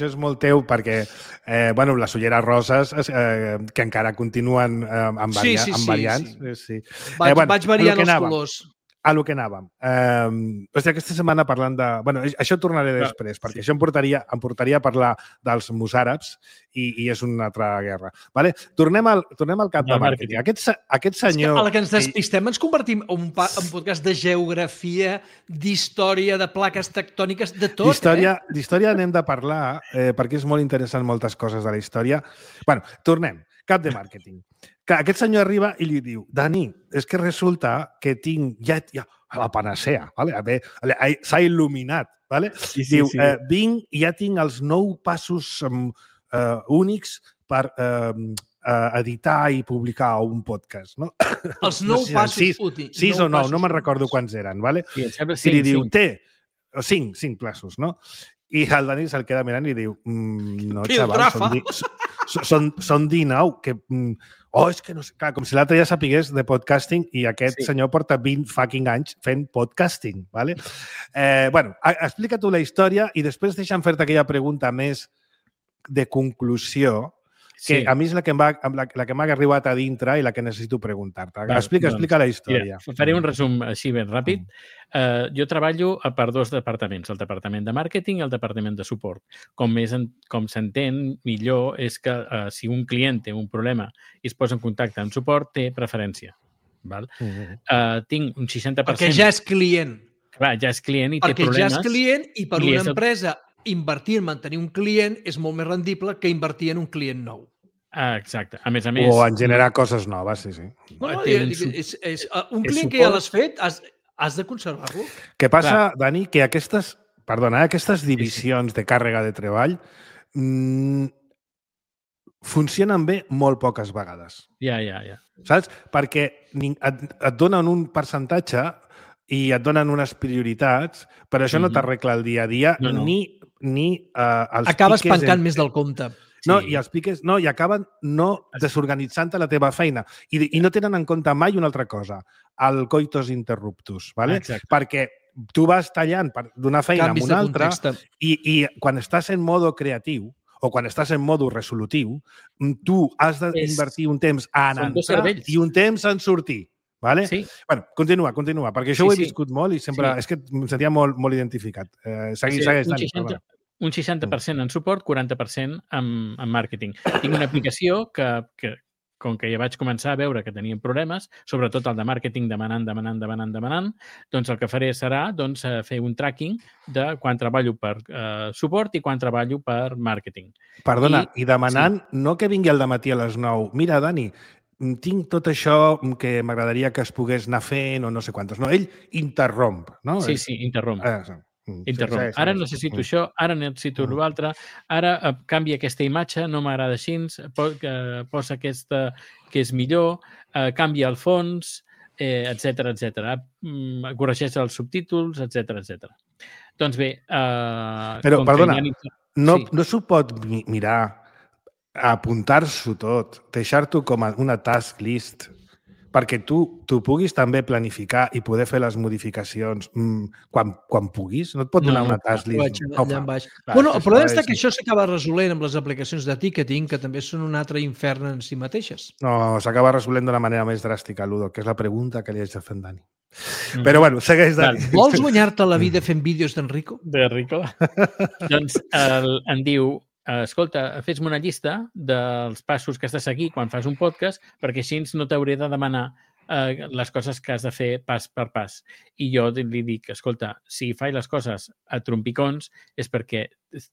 és molt teu perquè les ulleres roses que encara continuen amb variants. Vaig variant els colors. A lo que anàvem. Aquesta setmana parlant de... això tornaré després, perquè això em portaria a parlar dels mossàrabs i és una altra guerra. Tornem al cap de màrqueting. Aquest senyor... A la que ens despistem ens convertim en un podcast de geografia, d'història, de plaques tectòniques, de tot. D'història anem de parlar, perquè és molt interessant moltes coses de la història. Tornem. Cap de màrqueting. Aquest senyor arriba i li diu, Dani, és que resulta que tinc ja la panacea, s'ha il·luminat. Diu, vinc i ja tinc els 9 passos únics per editar i publicar un podcast. Els 9 passos útils. 6 o 9, no me'n recordo quants eren. I li diu, 5 passos, no? I el Dani se'l queda mirant i diu, no, xaval, són 19 que... és que no sé, clar, com si l'altre ja sapigués de podcasting i aquest senyor porta 20 fucking anys fent podcasting, ¿vale? Bueno, explica tu la història i després deixa'm fer-te aquella pregunta més de conclusió, que a mi és la que m'ha arribat a dintre i la que necessito preguntar-te. Explica la història. Mira, faré un resum així ben ràpid. Jo treballo per dos departaments, el departament de màrqueting i el departament de suport. Com s'entén millor és que si un client té un problema i es posa en contacte amb suport, té preferència. Val? Tinc un 60%... Perquè ja és client. Clar, ja és client i té problemes. Perquè ja és client i per una empresa invertir en mantenir un client és molt més rendible que invertir en un client nou. Exacte. A més, o en generar coses noves, sí. Bueno, un client que ja l'has fet, has de conservar-lo. Què passa, Dani, que aquestes divisions de càrrega de treball funcionen bé molt poques vegades. Ja. Saps? Perquè et donen un percentatge i et donen unes prioritats, però això no t'arregla el dia a dia, ni els acabes pancant més del compte. No, i els piques i acaben no desorganitzant la teva feina. I no tenen en compte mai una altra cosa, el coitus interruptus, ¿vale? Perquè tu vas tallant d'una feina a una altra i quan estàs en modo creatiu o quan estàs en modo resolutiu, tu has d'invertir un temps en entrar i un temps en sortir. Vale? Sí. Bueno, continua, perquè això ho he viscut molt i sempre... És que em sentia molt identificat. Segueix, Dani. Un 60% en suport, 40% en màrqueting. Tinc una aplicació que com que ja vaig començar a veure que tenien problemes, sobretot el de màrqueting demanant, doncs el que faré serà fer un tracking de quan treballo per suport i quan treballo per màrqueting. Perdona, i demanant no que vingui al dematí a les 9. Mira, Dani, tinc tot això que m'agradaria que es pogués anar fent o no sé quantes. No, ell interromp, no? Sí, interromp. Interromp. Ara necessito això, ara necessito l'altre, ara canvia aquesta imatge, no m'agrada així, posa aquesta que és millor, canvia el fons, etc. Corregeix els subtítols, etc. Doncs bé... Però, perdona, no s'ho pot mirar, apuntar-s'ho tot, deixar-t'ho com una task list, perquè tu puguis també planificar i poder fer les modificacions quan puguis? No et pot donar una task list? Bueno, el problema és que això s'acaba resolent amb les aplicacions de ticketing, que també són un altre infern en si mateixes. No, s'acaba resolent d'una manera més dràstica, Ludo, que és la pregunta que li haig de fer en Dani. Però, bueno, segueix, Dani. Vols guanyar-te la vida fent vídeos d'Enrico? D'Enrico? Doncs em diu... Escolta, fes-me una llista dels passos que has de seguir quan fas un podcast perquè així no t'hauré de demanar les coses que has de fer pas per pas. I jo li dic, escolta, si faig les coses a trompicons és perquè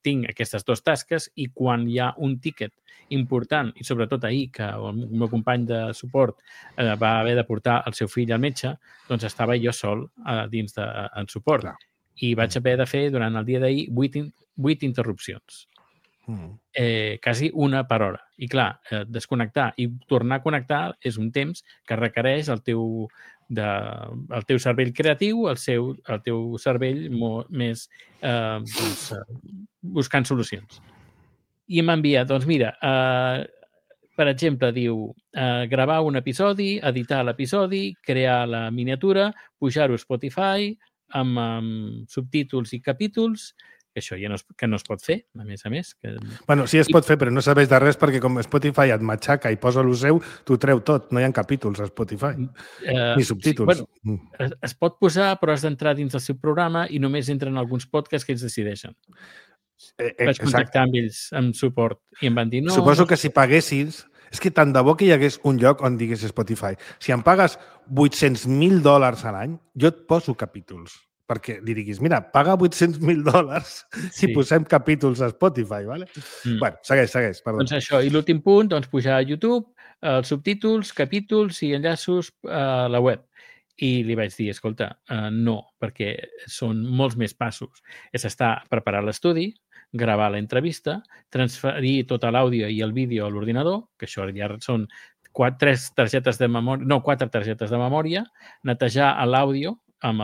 tinc aquestes dues tasques i quan hi ha un tiquet important, i sobretot ahir que el meu company de suport va haver de portar el seu fill al metge, doncs estava jo sol dins en suport. I vaig haver de fer durant el dia d'ahir 8 interrupcions. Quasi una per hora. I clar, desconnectar i tornar a connectar és un temps que requereix el teu cervell creatiu, el teu cervell més buscant solucions. I m'envia, doncs mira, per exemple, diu gravar un episodi, editar l'episodi, crear la miniatura, pujar-ho a Spotify amb subtítols i capítols, que això ja no es pot fer, a més. Bueno, sí es pot fer, però no serveix de res perquè com Spotify et matxaca i posa el seu, t'ho treu tot. No hi ha capítols a Spotify, ni subtítols. Sí, bueno, es pot posar, però has d'entrar dins del seu programa i només entren alguns podcasts que ells decideixen. Vaig contactar amb ells, amb suport, i em van dir no... Suposo que si paguessis... És que tant de bo que hi hagués un lloc on digués Spotify. Si em pagues $800,000 a l'any, jo et poso capítols. Perquè li diguis, mira, paga $800,000 si posem capítols a Spotify, ¿vale? Bueno, segueix, perdó. Doncs això, i l'últim punt, pujar a YouTube, els subtítols, capítols i enllaços a la web. I li vaig dir, escolta, no, perquè són molts més passos. És preparar l'estudi, gravar l'entrevista, transferir tot l'àudio i el vídeo a l'ordinador, que això ja són 4 targetes de memòria, netejar l'àudio, amb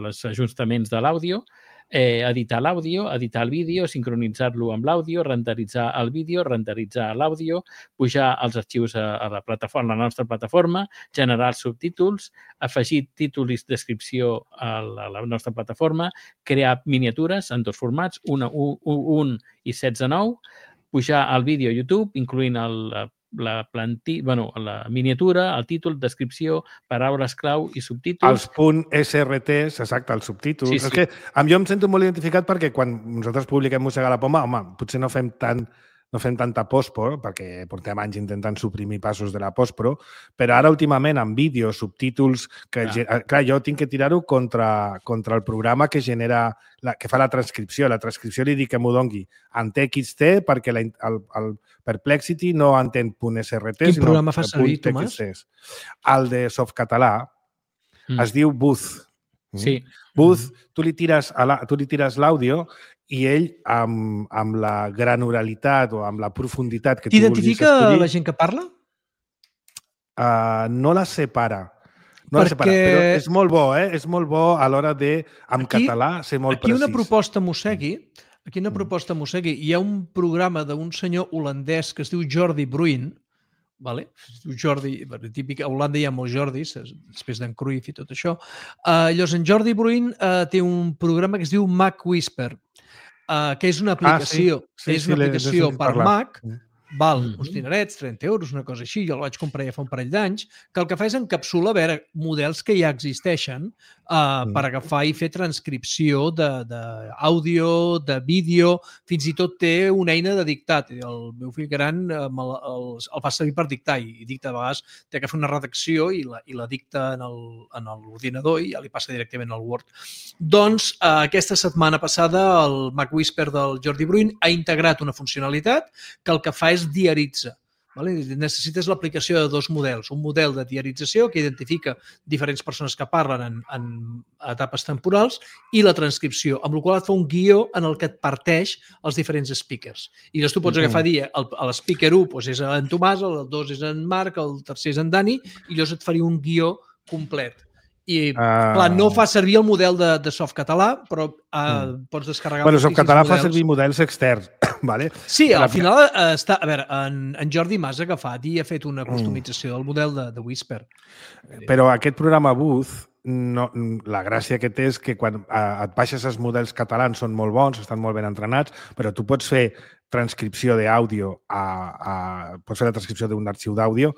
els ajustaments de l'àudio, editar l'àudio, editar el vídeo, sincronitzar-lo amb l'àudio, renderitzar el vídeo, renderitzar l'àudio, pujar els arxius a la plataforma, a la nostra plataforma, generar els subtítols, afegir títol i descripció a la nostra plataforma, crear miniatures en dos formats, un i 16:9, pujar el vídeo a YouTube, incloent la miniatura, el títol, descripció, paraules clau i subtítols. Els .srts, exacte, els subtítols. Sí. És que jo em sento molt identificat perquè quan nosaltres publiquem Mossegar la Poma, home, potser no fem tanta postpro, perquè portem anys intentant suprimir passos de la postpro, però ara últimament amb vídeos, subtítols, clar, jo tinc que tirar-ho contra el programa que genera, que fa la transcripció. La transcripció li dic que m'ho dongui en TXT perquè el Perplexity no entén .srt, Quin programa fa servir, Tomàs? El de Softcatalà es diu Booth. Sí. Booth, tu li tires l'àudio i ell, amb la granularitat o amb la profunditat que tu vulguis escollir... T'identifica la gent que parla? No la separa. No la separa, però és molt bo, És molt bo a l'hora de, en català, ser molt precís. Aquí una proposta mossegui. Hi ha un programa d'un senyor holandès que es diu Jordi Bruin, vale? Jordi, típic, a Holanda hi ha molts Jordis, després d'en Cruyff i tot això. Llavors, en Jordi Bruin té un programa que es diu Mac Whisper, que és una aplicació, per Mac, val uns dinerets, 30 euros, una cosa així, jo el vaig comprar ja fa un parell d'anys, que el que fa és encapsular, models que ja existeixen per agafar i fer transcripció d'àudio, de vídeo, fins i tot té una eina de dictat. El meu fill gran el fa servir per dictar i dicta a vegades, té que fer una redacció i la dicta en l'ordinador i ja li passa directament al Word. Doncs aquesta setmana passada el Mac Whisper del Jordi Bruin ha integrat una funcionalitat que el que fa és diaritza. Necessites l'aplicació de dos models. Un model de diarització que identifica diferents persones que parlen en etapes temporals i la transcripció, amb la qual et fa un guió en el que et parteix els diferents speakers. I llavors tu pots agafar a dir, l'speaker 1 és en Tomàs, el 2 és en Marc, el tercer és en Dani, i llavors et faria un guió complet. I, clar, no fa servir el model de Softcatalà, però pots descarregar... Bueno, Softcatalà fa servir models externs, vale? Sí, al final està... A veure, en Jordi Mas ha agafat i ha fet una customització del model de Whisper. Però aquest programa Booth, la gràcia que té és que quan et baixes els models catalans són molt bons, estan molt ben entrenats, però tu pots fer transcripció d'àudio, pots fer la transcripció d'un arxiu d'àudio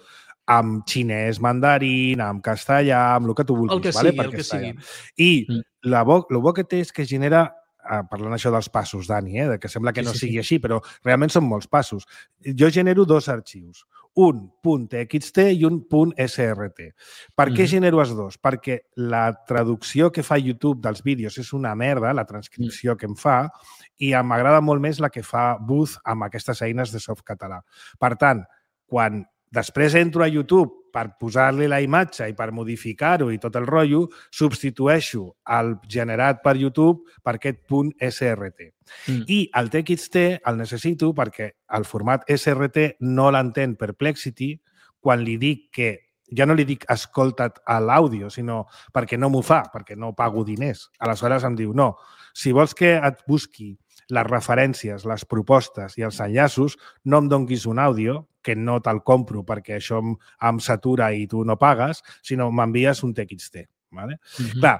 amb xinès, mandarín, amb castellà, amb el que tu vulguis. El que sigui, el que sigui. I el bo que té és que genera, parlant això dels passos, Dani, que sembla que no sigui així, però realment són molts passos. Jo genero dos arxius, un .txt i un .srt. Per què genero els dos? Perquè la traducció que fa YouTube dels vídeos és una merda, la transcripció que em fa, i m'agrada molt més la que fa Booth amb aquestes eines de Softcatalà. Per tant, quan després entro a YouTube per posar-li la imatge i per modificar-ho i tot el rotllo, substitueixo el generat per YouTube per aquest .srt. I el TXT el necessito perquè el format SRT no l'entén Perplexity quan li dic que ja no li dic escolta't a l'àudio, sinó perquè no m'ho fa, perquè no pago diners. Aleshores em diu, no, si vols que et busqui les referències, les propostes i els enllaços, no em donguis un àudio, que no te'l compro perquè això em satura i tu no pagues, sinó m'envies un TXT. Clar,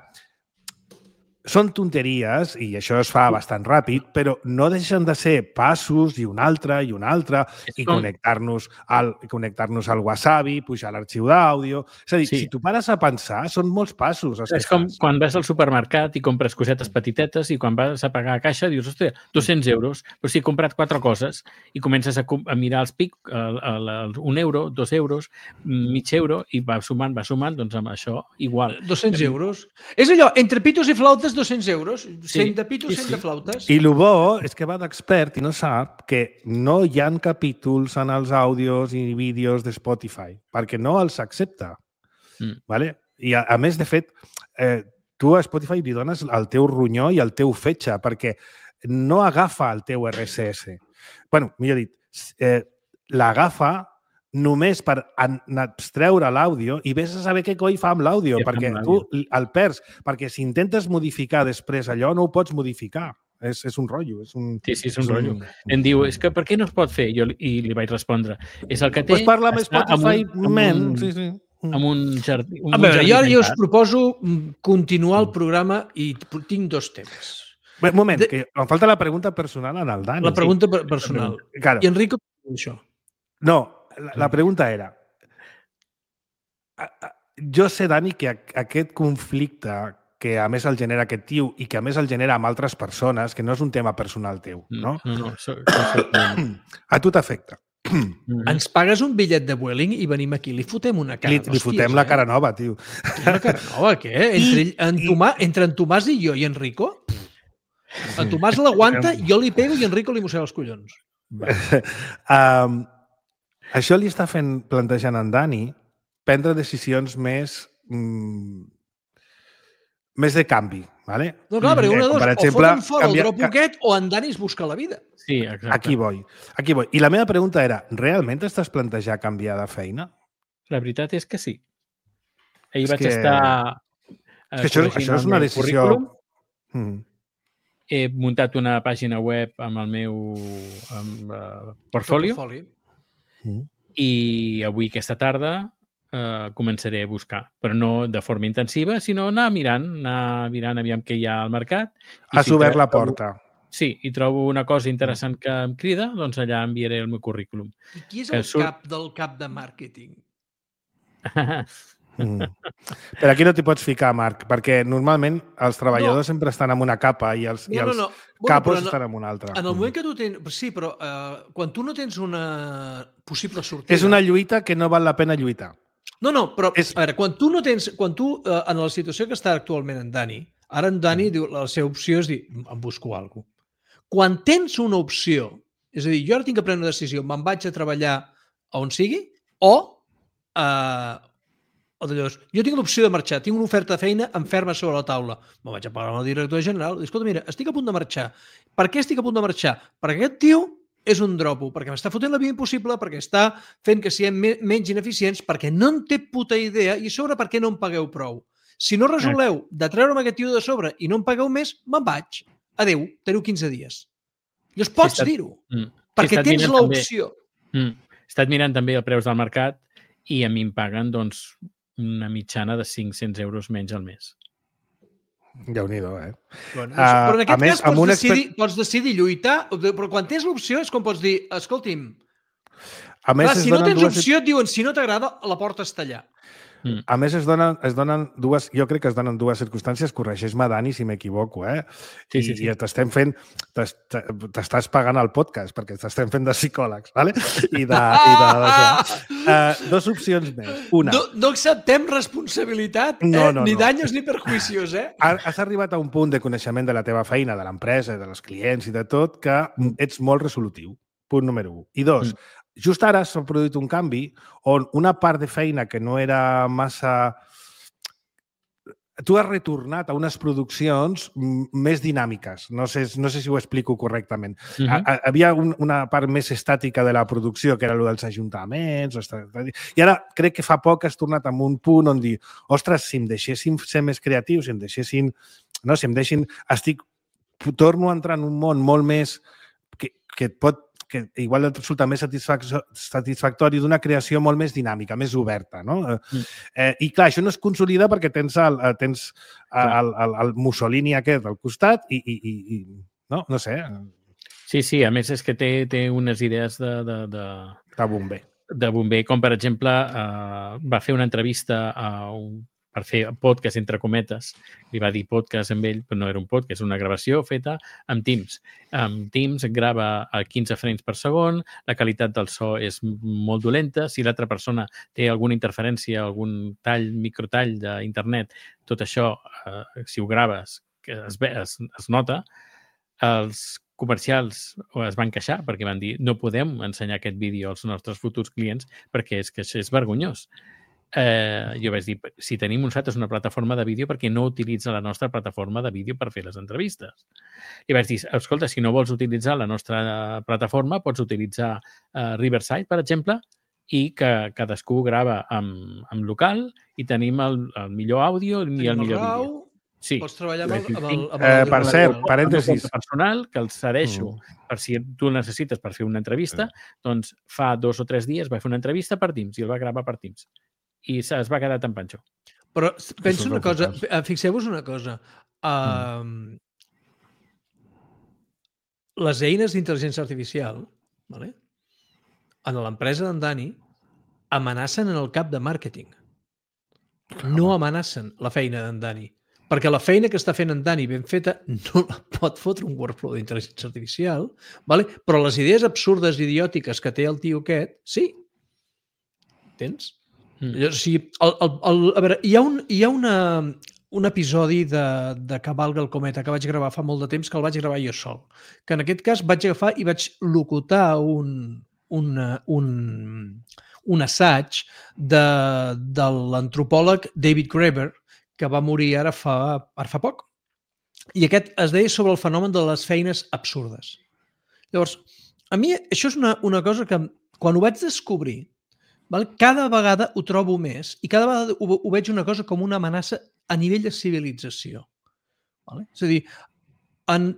són tonteries i això es fa bastant ràpid, però no deixen de ser passos i un altre i connectar-nos al Wasabi, pujar l'arxiu d'àudio... És a dir, si tu pares a pensar, són molts passos. És com quan vas al supermercat i compres cosetes petitetes i quan vas a pagar a caixa dius, ostres, 200 euros, però si he comprat 4 coses i comences a mirar els pic, 1 euro, 2 euros, mig euro, i va sumant, doncs amb això igual. 200 euros? És allò, entre pitos i flautes, 200 euros. 100 de pitos, 100 de flautes. I el bo és que va d'expert i no sap que no hi ha capítols en els àudios i vídeos de Spotify, perquè no els accepta. I a més, de fet, tu a Spotify li dones el teu ronyó i el teu fetge, perquè no agafa el teu RSS. Bueno, millor dit, l'agafa només per abstreure l'àudio i vés a saber què coi fa amb l'àudio, perquè tu el perds. Perquè si intentes modificar després allò, no ho pots modificar. És un rotllo. Sí, és un rotllo. Em diu, és que per què no es pot fer? I li vaig respondre, és el que té... Pues parla amb Spotify, amb un jardí. A veure, jo us proposo continuar el programa i tinc 2 temes. Un moment, que em falta la pregunta personal en el Dani. La pregunta personal. Claro. I Enrico, això. No, la pregunta era... Jo sé, Dani, que aquest conflicte que a més el genera aquest tio i que a més el genera amb altres persones, que no és un tema personal teu, no? No. A tu t'afecta. Ens pagues un bitllet de Vueling i venim aquí, li fotem una cara d'hòsties. Li fotem la cara nova, tio. La cara nova, què? Entre en Tomàs i jo i Enrico? En Tomàs l'aguanta, jo li pego i Enrico li mossega els collons. Això li està plantejant en Dani prendre decisions més de canvi, ¿vale? No, clar, perquè una de dos, o foten fora el drop aquest o en Dani es busca la vida. Sí, exacte. Aquí voy. I la meva pregunta era, realment estàs plantejant canviar de feina? La veritat és que sí. Ahir vaig estar... Això és una decisió... He muntat una pàgina web amb el meu portfolio i avui, aquesta tarda, començaré a buscar, però no de forma intensiva, sinó anar mirant aviam què hi ha al mercat. Has obert la porta. Sí, i trobo una cosa interessant que em crida, doncs allà enviaré el meu currículum. I qui és el cap del cap de màrqueting? Però aquí no t'hi pots ficar, Marc, perquè normalment els treballadors sempre estan en una capa i els capos estan en una altra. En el moment que tu tens... Sí, però quan tu no tens una possible sortida... És una lluita que no val la pena lluitar. No, però a veure, quan tu en la situació que està actualment en Dani, ara en Dani diu, la seva opció és dir, em busco alguna cosa. Quan tens una opció, és a dir, jo ara tinc que prendre una decisió, me'n vaig a treballar on sigui, o d'allò, jo tinc l'opció de marxar, tinc una oferta de feina en ferma sobre la taula. Me'n vaig a parlar amb el director general i escolta, mira, estic a punt de marxar. Per què estic a punt de marxar? Perquè aquest tio és un dropo, perquè m'està fotent la vida impossible, perquè està fent que siguem menys ineficients, perquè no en té puta idea i a sobre per què no em pagueu prou. Si no resoleu de treure'm aquest tio de sobre i no em pagueu més, me'n vaig. Adéu, teniu 15 dies. Llavors pots dir-ho, perquè tens l'opció. He estat mirant també els preus del mercat i a mi em paguen, doncs, una mitjana de 500 euros menys al mes. Déu-n'hi-do, Bueno, però en aquest cas pots decidir lluitar, però quan tens l'opció és com pots dir, escolti'm, si no tens opció et diuen, si no t'agrada, la porta està allà. A més, es donen dues, jo crec que es donen dues circumstàncies, corregeix-me, Dani, si m'equivoco, Sí. I t'estem fent, t'estàs pagant el podcast, perquè t'estem fent de psicòlegs, ¿vale? I dos opcions més. Una. No acceptem responsabilitat, ni daños ni perjuicios, Has arribat a un punt de coneixement de la teva feina, de l'empresa, dels clients i de tot, que ets molt resolutiu. Punt número 1. I 2, just ara s'ha produït un canvi on una part de feina que no era massa... Tu has retornat a unes produccions més dinàmiques. No sé si ho explico correctament. Havia una part més estàtica de la producció, que era el dels ajuntaments. I ara crec que fa poc has tornat a un punt on dir, ostres, si em deixessin ser més creatius, si em deixessin... Torno a entrar en un món molt més que igual et resulta més satisfactori d'una creació molt més dinàmica, més oberta, no? I clar, això no es consolida perquè tens el Mussolini aquest al costat i no sé. Sí, a més és que té unes idees de bomber. De bomber, com per exemple va fer una entrevista per fer podcast, entre cometes. Li va dir podcast amb ell, però no era un podcast, és una gravació feta amb Teams. Amb Teams grava a 15 frames per segon, la qualitat del so és molt dolenta, si l'altra persona té alguna interferència, algun microtall d'internet, tot això, si ho graves, es nota. Els comercials es van queixar perquè van dir no podem ensenyar aquest vídeo als nostres futurs clients perquè és que això és vergonyós. Jo vaig dir, si tenim nosaltres una plataforma de vídeo, perquè no utilitza la nostra plataforma de vídeo per fer les entrevistes? I vaig dir, escolta, si no vols utilitzar la nostra plataforma, pots utilitzar Riverside, per exemple, i que cadascú grava amb local i tenim el millor àudio i el millor vídeo. Sí. Pots treballar amb el per cert, parèntesis. Personal, que el cedeixo per si tu el necessites per fer una entrevista, doncs fa 2 o 3 dies va fer una entrevista per Teams i el va gravar per Teams. I es va quedar tan panxo. Però penso una cosa, fixeu-vos una cosa. Les eines d'intel·ligència artificial, en l'empresa d'en Dani, amenacen en el cap de màrqueting. No amenacen la feina d'en Dani. Perquè la feina que està fent en Dani ben feta no la pot fotre un workflow d'intel·ligència artificial, però les idees absurdes i idiòtiques que té el tio aquest, sí. Entens? O sigui, a veure, hi ha un episodi de Cavalga el cometa que vaig gravar fa molt de temps, que el vaig gravar jo sol. Que en aquest cas vaig agafar i vaig locutar un assaig de l'antropòleg David Graeber, que va morir ara fa poc. I aquest es deia sobre el fenomen de les feines absurdes. Llavors, a mi això és una cosa que quan ho vaig descobrir, cada vegada ho trobo més i cada vegada ho veig una cosa com una amenaça a nivell de civilització. És a dir,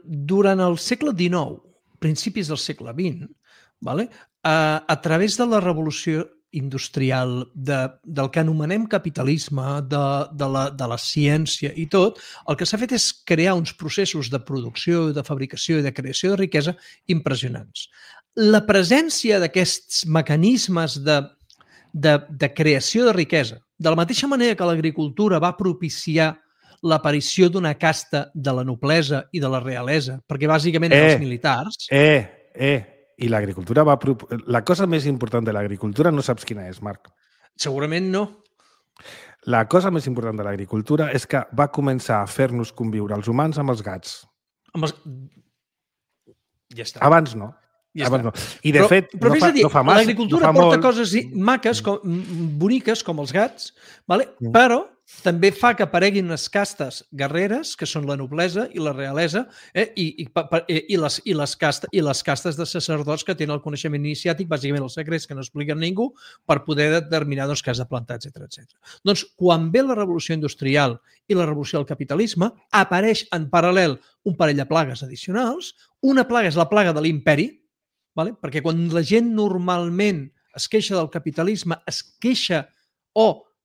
durant el segle XIX, principis del segle XX, a través de la revolució industrial, del que anomenem capitalisme, de la ciència i tot, el que s'ha fet és crear uns processos de producció, de fabricació i de creació de riquesa impressionants. La presència d'aquests mecanismes de creació de riquesa, de la mateixa manera que l'agricultura va propiciar l'aparició d'una casta de la noblesa i de la realesa, perquè bàsicament els militars... I l'agricultura va... La cosa més important de l'agricultura no saps quina és, Marc. Segurament no. La cosa més important de l'agricultura és que va començar a fer-nos conviure els humans amb els gats. Ja està. Abans no. Ja abans no. I de fet, no fa massa. L'agricultura porta coses maques, boniques, com els gats, però també fa que apareguin unes castes guerreres, que són la noblesa i la realesa, i les castes de sacerdots que tenen el coneixement iniciàtic, bàsicament els secrets que no expliquen ningú, per poder determinar què has de plantar, etc. Doncs, quan ve la revolució industrial i la revolució del capitalisme, apareix en paral·lel un parell de plagues addicionals. Una plaga és la plaga de l'imperi, perquè quan la gent normalment es queixa del capitalisme, es queixa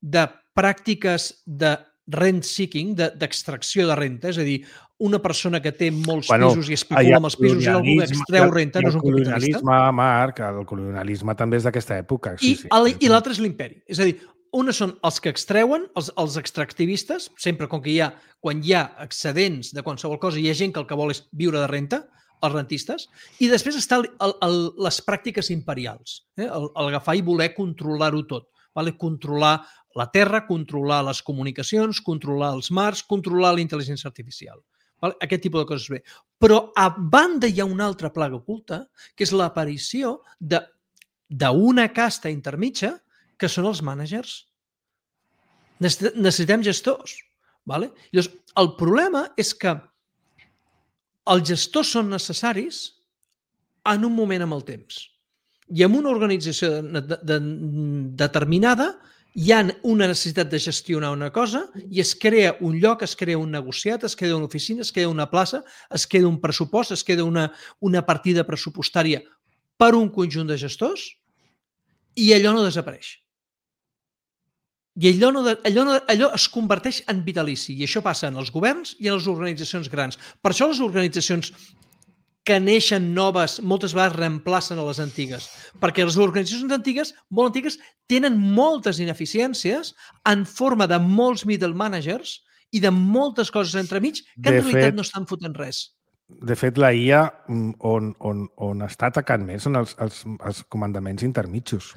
de pràctiques de rent-seeking, d'extracció de renta, és a dir, una persona que té molts pisos i especula amb els pisos i algú que extreu renta no és un capitalista. El colonialisme, Marc, el colonialisme també és d'aquesta època. I l'altre és l'imperi. És a dir, uns són els que extreuen, els extractivistes, sempre quan hi ha excedents de qualsevol cosa, hi ha gent que el que vol és viure de renta, els rentistes, i després estan les pràctiques imperials, agafar i voler controlar-ho tot, controlar la terra, controlar les comunicacions, controlar els mars, controlar la intel·ligència artificial. Aquest tipus de coses bé. Però a banda hi ha una altra plaga oculta, que és l'aparició d'una casta intermitja, que són els mànagers. Necessitem gestors. Llavors, el problema és que els gestors són necessaris en un moment amb el temps. I en una organització determinada hi ha una necessitat de gestionar una cosa i es crea un lloc, es crea un negociat, es crea una oficina, es crea una plaça, es crea un pressupost, es crea una partida pressupostària per un conjunt de gestors i allò no desapareix. I allò es converteix en vitalici. I això passa en els governs i en les organitzacions grans. Per això les organitzacions que neixen noves moltes vegades reemplacen a les antigues. Perquè les organitzacions antigues, molt antigues, tenen moltes ineficiències en forma de molts middle managers i de moltes coses entremig que en realitat no estan fotent res. De fet, la IA on està atacant més són els comandaments intermitjos.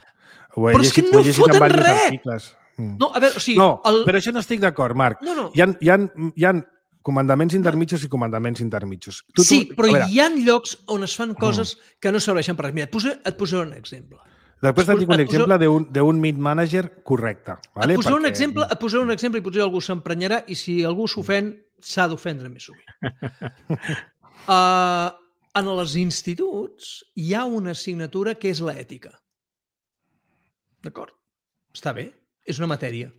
Però és que no foten res! No, a veure, o sigui... No, però això no estic d'acord, Marc. Hi ha comandaments intermitjos i comandaments intermitjos. Però hi ha llocs on es fan coses que no serveixen per res. Mira, et posaré un exemple. Després et dic un exemple d'un mid-manager correcte. Et posaré un exemple i potser algú s'emprenyarà i si algú s'ofèn, s'ha d'ofendre més sovint. En els instituts hi ha una assignatura que és l'ètica. D'acord? Està bé. És una matèria.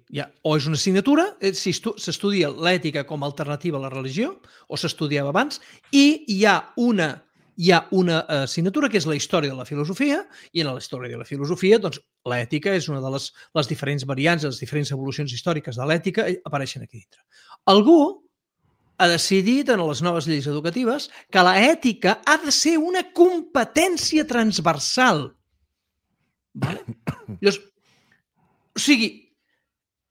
O és una assignatura, si s'estudia l'ètica com a alternativa a la religió, o s'estudiava abans, i hi ha una assignatura que és la història de la filosofia, i en la història de la filosofia doncs, l'ètica és una de les diferents variants, les diferents evolucions històriques de l'ètica apareixen aquí dintre. Algú ha decidit en les noves lleis educatives que l'ètica ha de ser una competència transversal. Vale? Llavors, o sigui,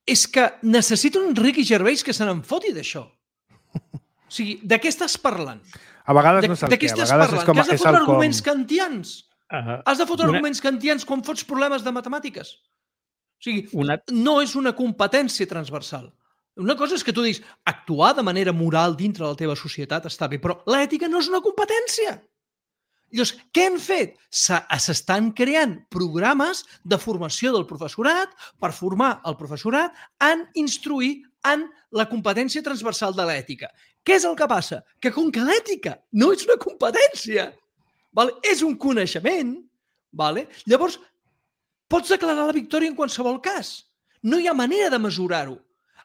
és que necessito un Ricky Gervais que se n'en foti d'això. O sigui, de què estàs parlant? A vegades no saps què. A vegades és com... Que has de fotre arguments kantians. Has de fotre arguments kantians quan fots problemes de matemàtiques. O sigui, no és una competència transversal. Una cosa és que tu diguis actuar de manera moral dintre de la teva societat està bé, però l'ètica no és una competència. Llavors, què han fet? S'estan creant programes de formació del professorat per formar el professorat en instruir en la competència transversal de l'ètica. Què és el que passa? Que com que l'ètica no és una competència, és un coneixement, llavors pots declarar la victòria en qualsevol cas. No hi ha manera de mesurar-ho.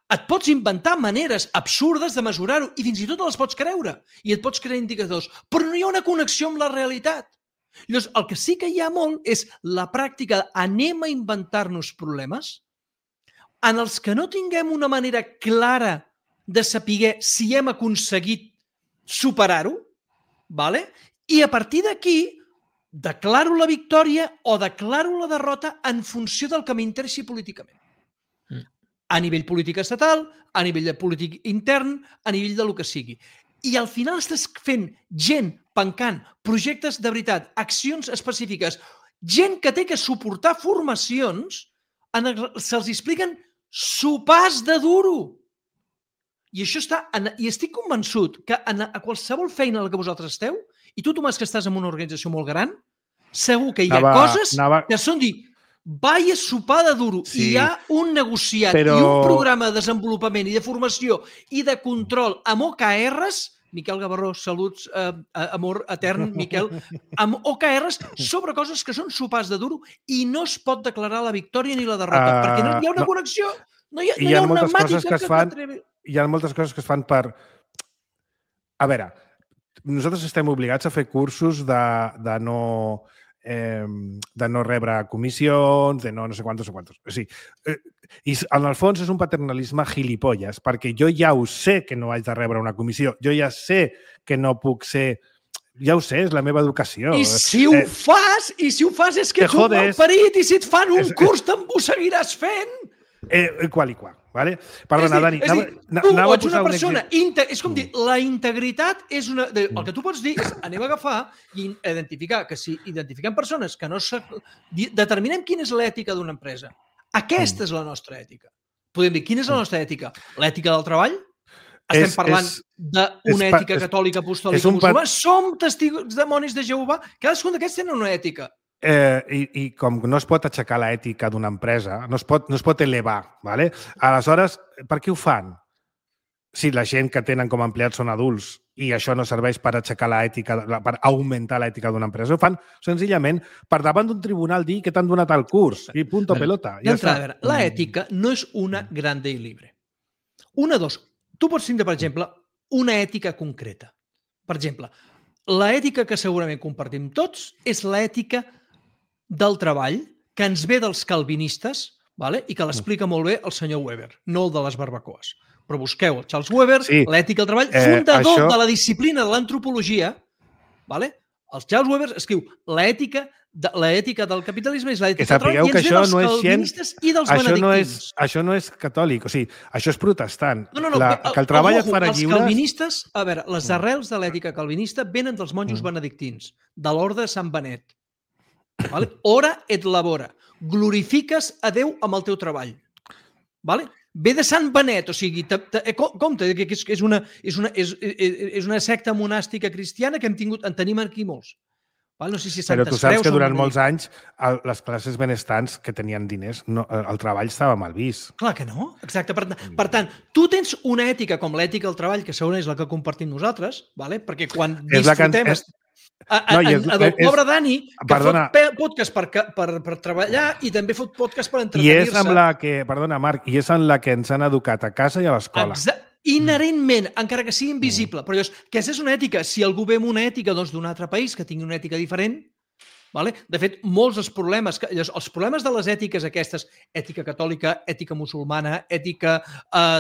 Et pots inventar maneres absurdes de mesurar-ho i fins i tot les pots creure i et pots crear indicadors, però no hi ha una connexió amb la realitat. Llavors, el que sí que hi ha molt és la pràctica d'anem a inventar-nos problemes en els que no tinguem una manera clara de saber si hem aconseguit superar-ho, i a partir d'aquí declaro la victòria o declaro la derrota en funció del que m'interessi políticament. A nivell polític estatal, a nivell de polític intern, a nivell del que sigui. I al final estàs fent gent pencant projectes de veritat, accions específiques, gent que té que suportar formacions, se'ls expliquen sopars de duro. I això està... I estic convençut que a qualsevol feina en la que vosaltres esteu, i tu, Tomàs, que estàs en una organització molt gran, segur que hi ha coses que són dir... Vaya sopar de duro. Sí, hi ha un negociat i un programa de desenvolupament i de formació i de control amb OKRs, Miquel Gavarró, saluts, amor etern, Miquel, amb OKRs sobre coses que són sopars de duro i no es pot declarar la victòria ni la derrota, perquè no hi ha una connexió, no hi ha una màtica que t'atrevi. Hi ha moltes coses que es fan per... A veure, nosaltres estem obligats a fer cursos de no rebre comissions, de no sé quantos. O sigui, i en el fons és un paternalisme gilipolles, perquè jo ja ho sé que no haig de rebre una comissió, jo ja sé que no puc ser... Ja ho sé, és la meva educació. I si ho fas és que ets un malparit, i si et fan un curs te'n ho seguiràs fent. Qual i qual, vale? Perdona, Dani. Tu ets una persona... És com dir, la integritat és una... El que tu pots dir és anem a agafar i identificar que si identifiquem persones que no... Determinem quina és l'ètica d'una empresa. Aquesta és la nostra ètica. Podem dir, quina és la nostra ètica? L'ètica del treball? Estem parlant d'una ètica catòlica, apostòlica, musulmana? Som testigos demonis de Jehovà? Cadascun d'aquests tenen una ètica. I com no es pot aixecar l'ètica d'una empresa, no es pot elevar, ¿vale? Aleshores, per què ho fan? Si la gent que tenen com a empleats són adults i això no serveix per aixecar l'ètica, per augmentar l'ètica d'una empresa, ho fan senzillament per davant d'un tribunal dir que t'han donat el curs i punto pelota. D'entrada, l'ètica no és una grande i libre. Una, dos. Tu pots tindre, per exemple, una ètica concreta. Per exemple, l'ètica que segurament compartim tots és l'ètica del treball que ens ve dels calvinistes i que l'explica molt bé el senyor Weber, no el de les barbacoes. Però busqueu el Charles Weber, l'ètica del treball, fundador de la disciplina de l'antropologia. El Charles Weber escriu l'ètica del capitalisme és l'ètica del treball i ens ve dels calvinistes i dels benedictins. Això no és catòlic, o sigui, això és protestant. Que el treball et farà lliures... Els calvinistes, a veure, les arrels de l'ètica calvinista venen dels monjos benedictins, de l'orde de Sant Benet. Ora et labora. Glorifiques a Déu amb el teu treball. Ve de Sant Benet, o sigui, compte, que és una secta monàstica cristiana que en tenim aquí molts. No sé si però tu saps que durant molts anys les classes benestants que tenien diners, el treball estava mal vist. Clar que no, exacte. Per tant, tu tens una ètica com l'ètica del treball, que segurament és la que compartim nosaltres, perquè quan disfrutem... El pobre Dani, que perdona, fot podcast per treballar i també fot podcast per i entretenir-se. és amb la que, perdona, Marc, i és en la que ens han educat a casa i a l'escola. Inherentment, encara que sigui invisible. Però llavors, aquesta és una ètica. Si algú ve amb una ètica d'un altre país que tingui una ètica diferent, vale? De fet, molts dels problemes, els problemes de les ètiques aquestes, ètica catòlica, ètica musulmana, ètica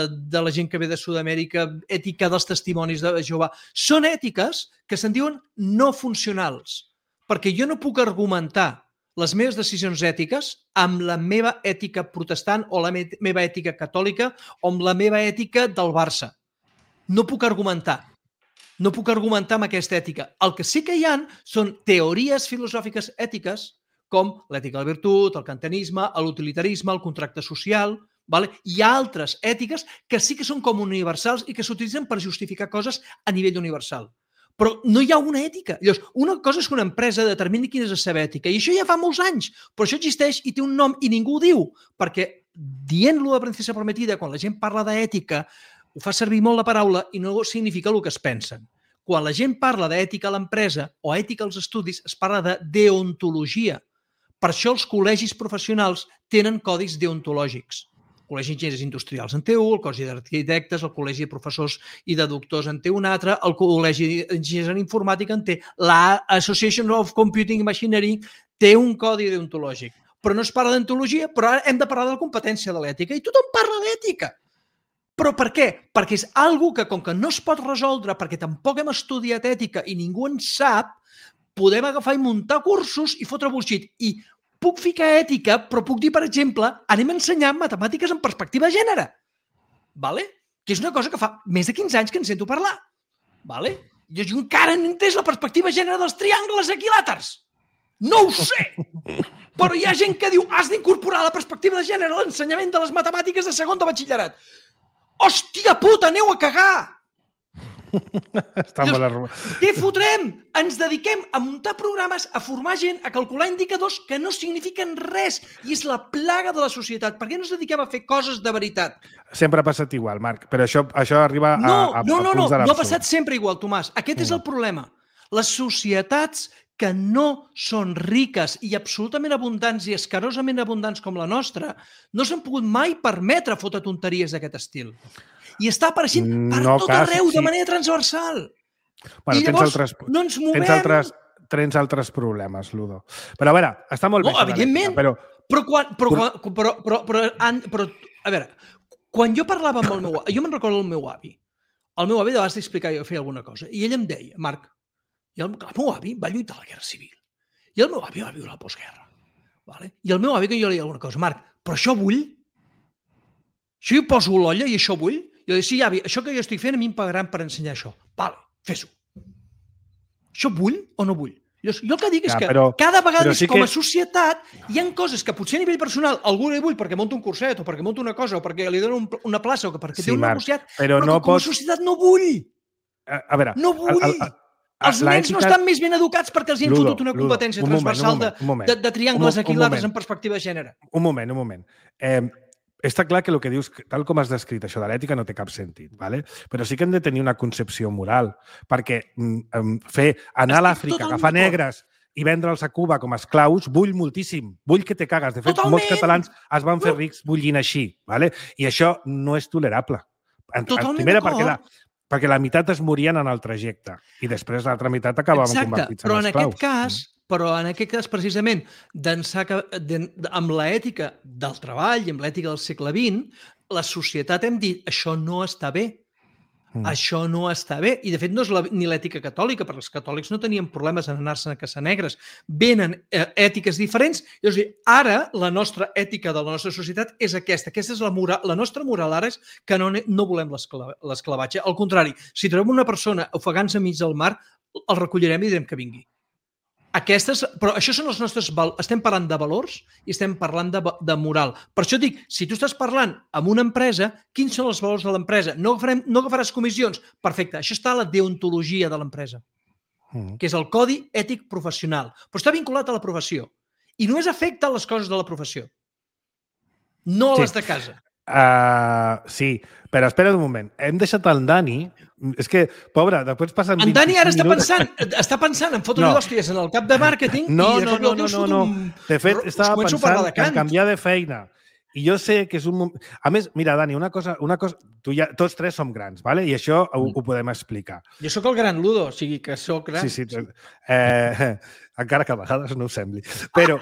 de la gent que ve de Sud-amèrica, ètica dels testimonis de Jehovà, són ètiques que se'n diuen no funcionals, perquè jo no puc argumentar les meves decisions ètiques amb la meva ètica protestant o la meva ètica catòlica o amb la meva ètica del Barça. No puc argumentar. No puc argumentar amb aquesta ètica. El que sí que hi ha són teories filosòfiques ètiques com l'ètica de la virtut, el kantianisme, l'utilitarisme, el contracte social. Vale? Hi ha altres ètiques que sí que són com universals i que s'utilitzen per justificar coses a nivell universal. Però no hi ha una ètica. Llavors, una cosa és que una empresa determini quina és la seva ètica, i això ja fa molts anys, però això existeix i té un nom i ningú ho diu, perquè dient-lo de Princesa Prometida, quan la gent parla d'ètica, ho fa servir molt la paraula i no significa el que es pensen. Quan la gent parla d'ètica a l'empresa o ètica als estudis, es parla de deontologia. Per això els col·legis professionals tenen codis deontològics. El Col·legi d'Enginyers Industrials en té un, el Col·legi d'Arquitectes, el Col·legi de Professors i de Doctors en té un altre, el Col·legi d'Enginyers en Informàtica en té, la Association of Computing Machinery té un codi deontològic. Però no es parla d'ontologia, però ara hem de parlar de la competència de l'ètica i tothom parla d'ètica. Però per què? Perquè és algo que, com que no es pot resoldre, perquè tampoc hem estudiat ètica i ningú en sap, podem agafar i muntar cursos i fotre bullshit. I puc ficar ètica, però puc dir, per exemple, anem a ensenyar matemàtiques en perspectiva de gènere. Vale? Que és una cosa que fa més de 15 anys que en sento parlar. Vale? Jo encara no he entès la perspectiva de gènere dels triangles equilàters. No ho sé! Però hi ha gent que diu has d'incorporar la perspectiva de gènere a l'ensenyament de les matemàtiques de segon de batxillerat. Hòstia puta, aneu a cagar! Què fotrem? Ens dediquem a muntar programes, a formar gent, a calcular indicadors que no signifiquen res i és la plaga de la societat. Per què no ens dediquem a fer coses de veritat? Sempre ha passat igual, Marc, però això arriba a punts de l'absurd. No ha passat sempre igual, Tomàs. Aquest és el problema. Les societats que no són riques i absolutament abundants i escarosament abundants com la nostra no s'han pogut mai permetre fotre tonteries d'aquest estil. I està apareixent per tot arreu, de manera transversal. Bueno, I llavors no ens movem. Tens altres problemes, Ludo. Però a veure, està molt bé. No, evidentment. Però, a veure, quan jo parlava amb el meu avi, jo me'n recordo del meu avi. El meu avi de vegades d'explicar jo feia alguna cosa. I ell em deia, Marc, el meu avi va lluitar a la Guerra Civil. I el meu avi va viure la postguerra. I el meu avi que jo li deia alguna cosa, Marc, però això vull? Això jo poso l'olla i això vull? Jo dic, sí, avi, això que jo estic fent a mi em pagaran per ensenyar això. Vale, fes-ho. Això vull o no vull? Jo el que dic és que cada vegada més com a societat hi ha coses que potser a nivell personal algú li vull perquè monta un curset o perquè monta una cosa o perquè li donen una plaça o perquè té un negociat, però com a societat no vull. A veure... No vull. Els nens no estan més ben educats perquè els hi han fotut una competència transversal de triangles equilàters en perspectiva de gènere. Un moment. Està clar que el que dius, tal com has descrit això de l'ètica, no té cap sentit, ¿vale? Però sí que hem de tenir una concepció moral, perquè anar a l'Àfrica, agafar negres i vendre'ls a Cuba com a esclaus, vull moltíssim, vull que te cagues. De fet, molts catalans es van fer rics bullint així, ¿vale? I això no és tolerable. Primera, perquè la meitat es morien en el trajecte i després l'altra meitat acabaven convertits en esclaus. Però en aquest cas, precisament, amb l'ètica del treball i amb l'ètica del segle XX, la societat hem dit, això no està bé. Això no està bé. I, de fet, no és ni l'ètica catòlica, perquè els catòlics no tenien problemes en anar-se'n a caçar negres. Venen ètiques diferents. És a dir, ara la nostra ètica de la nostra societat és aquesta. Aquesta és la moral. La nostra moral ara és que no volem l'esclavatge. Al contrari, si trobem una persona ofegant-se enmig del mar, el recollirem i direm que vingui. Però això són els nostres valors. Estem parlant de valors i estem parlant de moral. Per això dic, si tu estàs parlant amb una empresa, quins són els valors de l'empresa? No agafaràs comissions? Perfecte, això està a la deontologia de l'empresa, que és el codi ètic professional. Però està vinculat a la professió. I només afecta les coses de la professió. No a les de casa. Sí, però espera't un moment. Hem deixat el Dani... És que, pobre, després passen 25 En Dani ara minuts... està pensant en fotre-li d'hòsties en el cap de màrqueting i de cop i volta us foto un... De fet, estava començo a parlar pensant de cant. en canviar de feina. I jo sé que és un moment... A més, mira, Dani, una cosa tots tres som grans, ¿vale? I això ho podem explicar. Jo sóc el gran Ludo, o sigui que sóc gran. Sí. Encara que a vegades no ho sembli. Però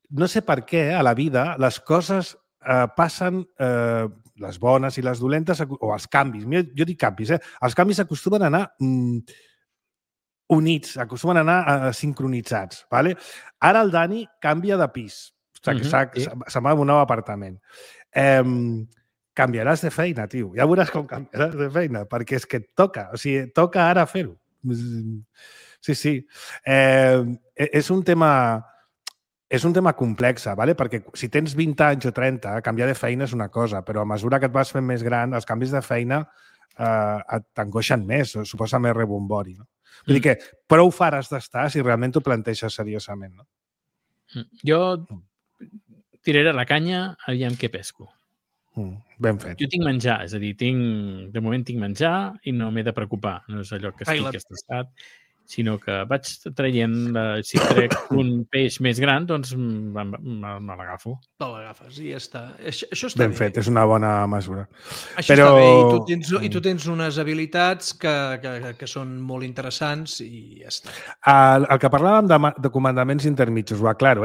no sé per què a la vida les coses passen, les bones i les dolentes, o els canvis. Jo dic canvis, Els canvis acostumen a anar units, acostumen a anar sincronitzats. ¿Vale? Ara el Dani canvia de pis. Se'n va a un nou apartament. Canviaràs de feina, tio. Ja veuràs com canviaràs de feina, perquè és que et toca. O sigui, toca ara fer-ho. Sí. És un tema complex, ¿vale? Perquè si tens 20 anys o 30, canviar de feina és una cosa, però a mesura que et vas fent més gran, els canvis de feina t'angoixen més, suposa més rebombori. No? Vull dir que prou faràs d'estar si realment t'ho planteges seriosament. No? Jo tiraré la canya, aviam què pesco. Ben fet. Jo tinc menjar, és a dir, de moment tinc menjar i no m'he de preocupar. No és allò que estic estressat, sinó que vaig traient, si trec un peix més gran, doncs me l'agafo. Te l'agafes i ja està. Això està ben fet, és una bona mesura. Això està bé, i tu tens unes habilitats que són molt interessants i ja està. El que parlàvem de comandaments intermitjos, ho aclaro,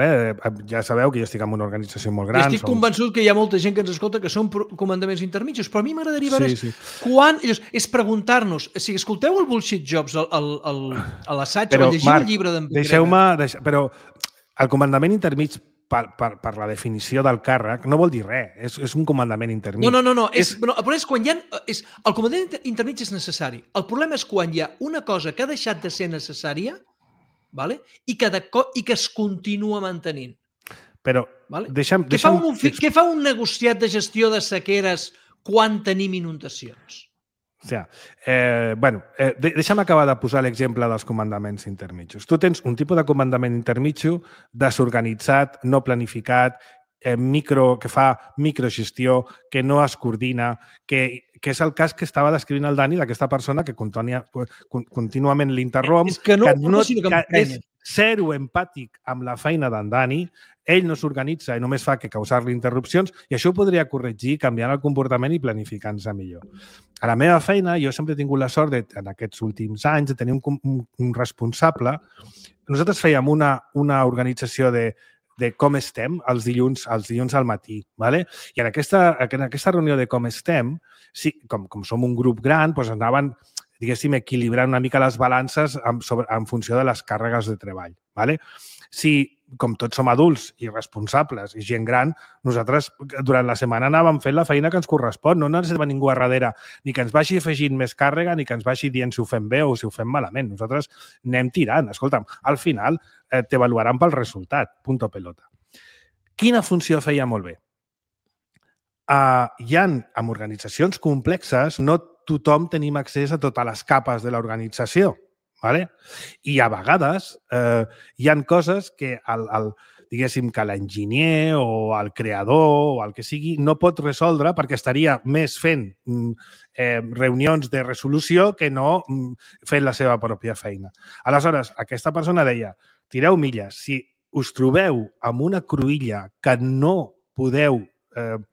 ja sabeu que jo estic en una organització molt gran. I estic convençut que hi ha molta gent que ens escolta que són comandaments intermitjos, però a mi m'agradaria veure quan... És preguntar-nos, si escolteu el Bullshit Jobs, a l'assaig o llegiu el llibre d'en Deixeu-me... Però el comandament intermig, per la definició del càrrec, no vol dir res. És un comandament intermig. No. Però és quan hi ha... El comandament intermig és necessari. El problema és quan hi ha una cosa que ha deixat de ser necessària, ¿vale? i que es continua mantenint. Però ¿vale? Què fa un negociat de gestió de sequeres quan tenim inundacions? Deixa'm acabar de posar l'exemple dels comandaments intermitjos. Tu tens un tipus de comandament intermitjo desorganitzat, no planificat, que fa microgestió, que no es coordina, que és el cas que estava descrivint el Dani d'aquesta persona que contínuament l'interromp, que és zero empàtic amb la feina d'en Dani, ell no s'organitza i només fa que causar-li interrupcions, i això ho podria corregir canviant el comportament i planificant-se millor. A la meva feina, jo sempre he tingut la sort, en aquests últims anys, de tenir un responsable. Nosaltres fèiem una organització de com estem els dilluns al matí. ¿vale? I en aquesta reunió de com estem, com som un grup gran, doncs anaven, diguéssim, equilibrant una mica les balances en funció de les càrregues de treball. ¿vale? Si, com tots som adults i responsables i gent gran, nosaltres durant la setmana anàvem fent la feina que ens correspon. No necessitem ningú a darrere ni que ens vagi afegint més càrrega ni que ens vagi dient si ho fem bé o si ho fem malament. Nosaltres anem tirant. Escolta'm, al final t'avaluaran pel resultat. Punto pelota. Quina funció feia molt bé? En organitzacions complexes no tothom tenim accés a totes les capes de l'organització. ¿vale? I a vegades hi ha coses que diguéssim que l'enginyer o el creador o el que sigui no pot resoldre perquè estaria més fent reunions de resolució que no fent la seva pròpia feina. Aleshores, aquesta persona deia, tireu milles, si us trobeu amb una cruïlla que no podeu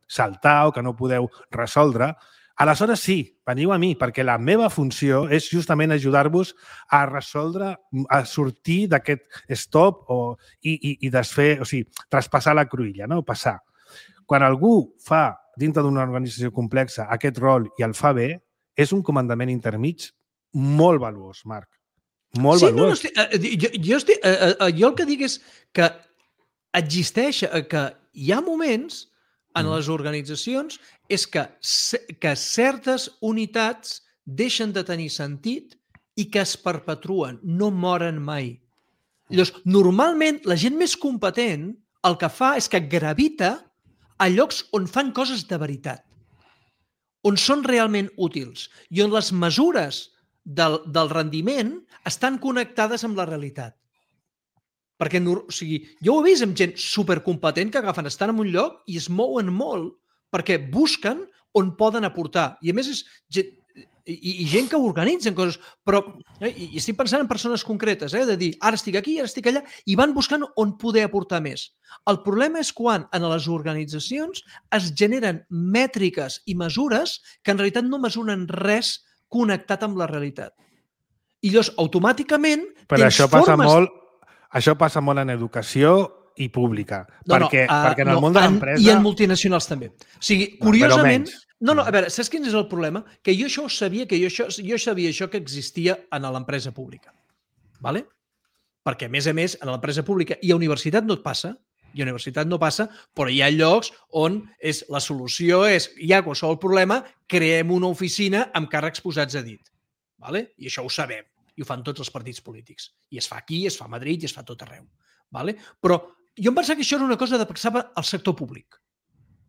saltar o que no podeu resoldre, aleshores sí, veniu a mi, perquè la meva funció és justament ajudar-vos a resoldre, a sortir d'aquest stop i desfer, o sigui, traspassar la cruïlla, no? Passar. Quan algú fa, dintre d'una organització complexa, aquest rol i el fa bé, és un comandament intermig molt valuós, Marc. Molt valuós. Jo el que dic és que existeix, que hi ha moments en les organitzacions és que certes unitats deixen de tenir sentit i que es perpetuen, no moren mai. Llavors, normalment, la gent més competent el que fa és que gravita a llocs on fan coses de veritat, on són realment útils i on les mesures del rendiment estan connectades amb la realitat. Perquè, o sigui, jo ho he vist amb gent supercompetent que agafen, estan en un lloc i es mouen molt perquè busquen on poden aportar. I a més és gent, i gent que organitzen coses, però i estic pensant en persones concretes, de dir, ara estic aquí, ara estic allà, i van buscant on poder aportar més. El problema és quan en les organitzacions es generen mètriques i mesures que en realitat no mesuren res connectat amb la realitat. I llavors, automàticament, però això passa molt, això passa molt en educació i pública. Perquè en el món de l'empresa... I en multinacionals també. O sigui, curiosament... No, a veure, saps quin és el problema? Que jo això ho sabia, jo sabia això que existia en l'empresa pública. ¿Vale? Perquè, a més, en l'empresa pública i a universitat no et passa, però hi ha llocs on la solució és, hi ha qualsevol problema, creem una oficina amb càrrecs posats a dit. ¿Vale? I això ho sabem. I ho fan tots els partits polítics. I es fa aquí, es fa a Madrid i es fa a tot arreu. ¿Vale? Però jo em pensava que això era una cosa que passava al sector públic.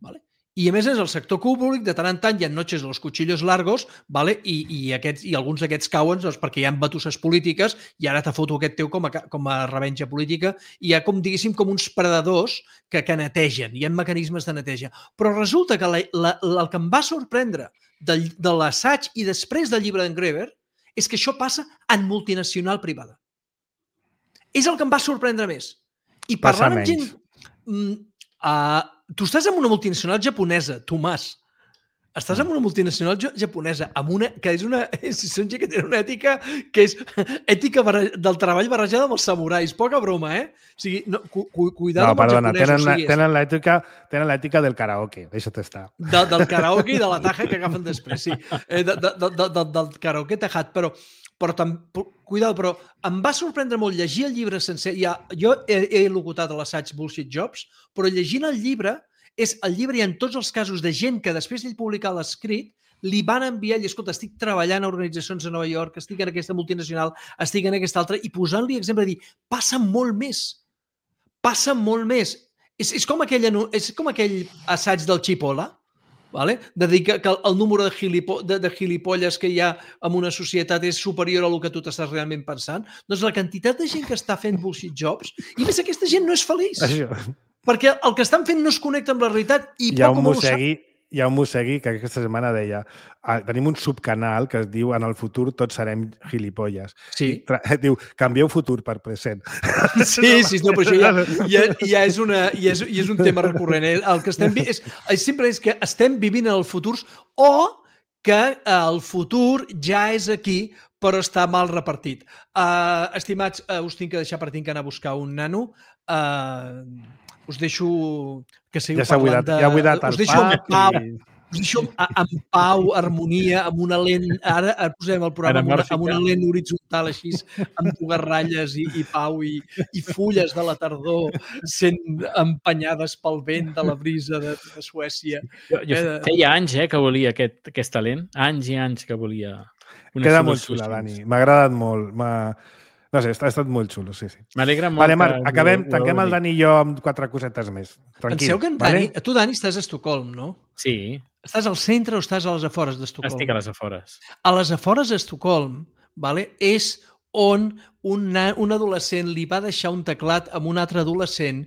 ¿Vale? I a més és el sector públic, de tant en tant hi ha noches de los cuchillos largos, ¿vale? I alguns d'aquests cauen perquè hi ha batusses polítiques i ara te foto aquest teu com a revenja política i hi ha, com diguéssim, com uns predadors que netegen, hi ha mecanismes de neteja. Però resulta que el que em va sorprendre de l'assaig i després del llibre d'en Greber és que això passa en multinacional privada. És el que em va sorprendre més. I parlant amb gent... Tu estàs en una multinacional japonesa, Tomàs. Estàs en una multinacional japonesa que són gent que tenen una ètica que és ètica del treball barrejada amb els samurais. Poca broma, O sigui, cuidado amb els japonesos. Tenen l'ètica del karaoke, deixa't estar. Del karaoke i de la taja que agafen després, sí. Del karaoke tajat, però cuidado, però em va sorprendre molt llegir el llibre sencer. Jo he locutat a l'assaig Bullshit Jobs, però llegint el llibre hi ha tots els casos de gent que després d'ell publicar l'escrit li van enviar, i escolta, estic treballant a organitzacions a Nova York, estic en aquesta multinacional, estic en aquesta altra, i posant-li exemple de dir, passa molt més. Passa molt més. És com aquell assaig del Chipola, ¿vale? De dir que el número de gilipolles que hi ha en una societat és superior a el que tu t'estàs realment pensant. Doncs la quantitat de gent que està fent bullshit jobs, i més aquesta gent no és feliç. Perquè el que estan fent no es connecta amb la realitat i poc o molt ho sap. Hi ha un Mosegui que aquesta setmana deia tenim un subcanal que es diu en el futur tots serem gilipolles. Sí. Diu, canvieu futur per present. Sí, no, però això ja és un tema recurrent. El que estem sempre és que estem vivint en el futur o que el futur ja és aquí però està mal repartit. Estimats, us tinc que deixar per tinc que anar a buscar un nano. Us deixo que seguiu parlant de... Ja ha buidat el pap. Us deixo en pau, harmonia, amb una lent... Ara posem el programa amb una lent horitzontal així, amb dues ratlles i pau i fulles de la tardor sent empenyades pel vent de la brisa de Suècia. Feia anys que volia aquest talent. Anys i anys que volia una Queda molt xula, Dani. M'ha agradat molt. No sé, ha estat molt xulo, sí. M'alegra molt. Vale, Marc, tanquem el Dani i jo amb 4 cosetes més. Tranquil. Penseu que en Dani... Tu, Dani, estàs a Estocolm, no? Sí. Estàs al centre o estàs a les afores d'Estocolm? Estic a les afores. A les afores d'Estocolm, és on un adolescent li va deixar un teclat amb un altre adolescent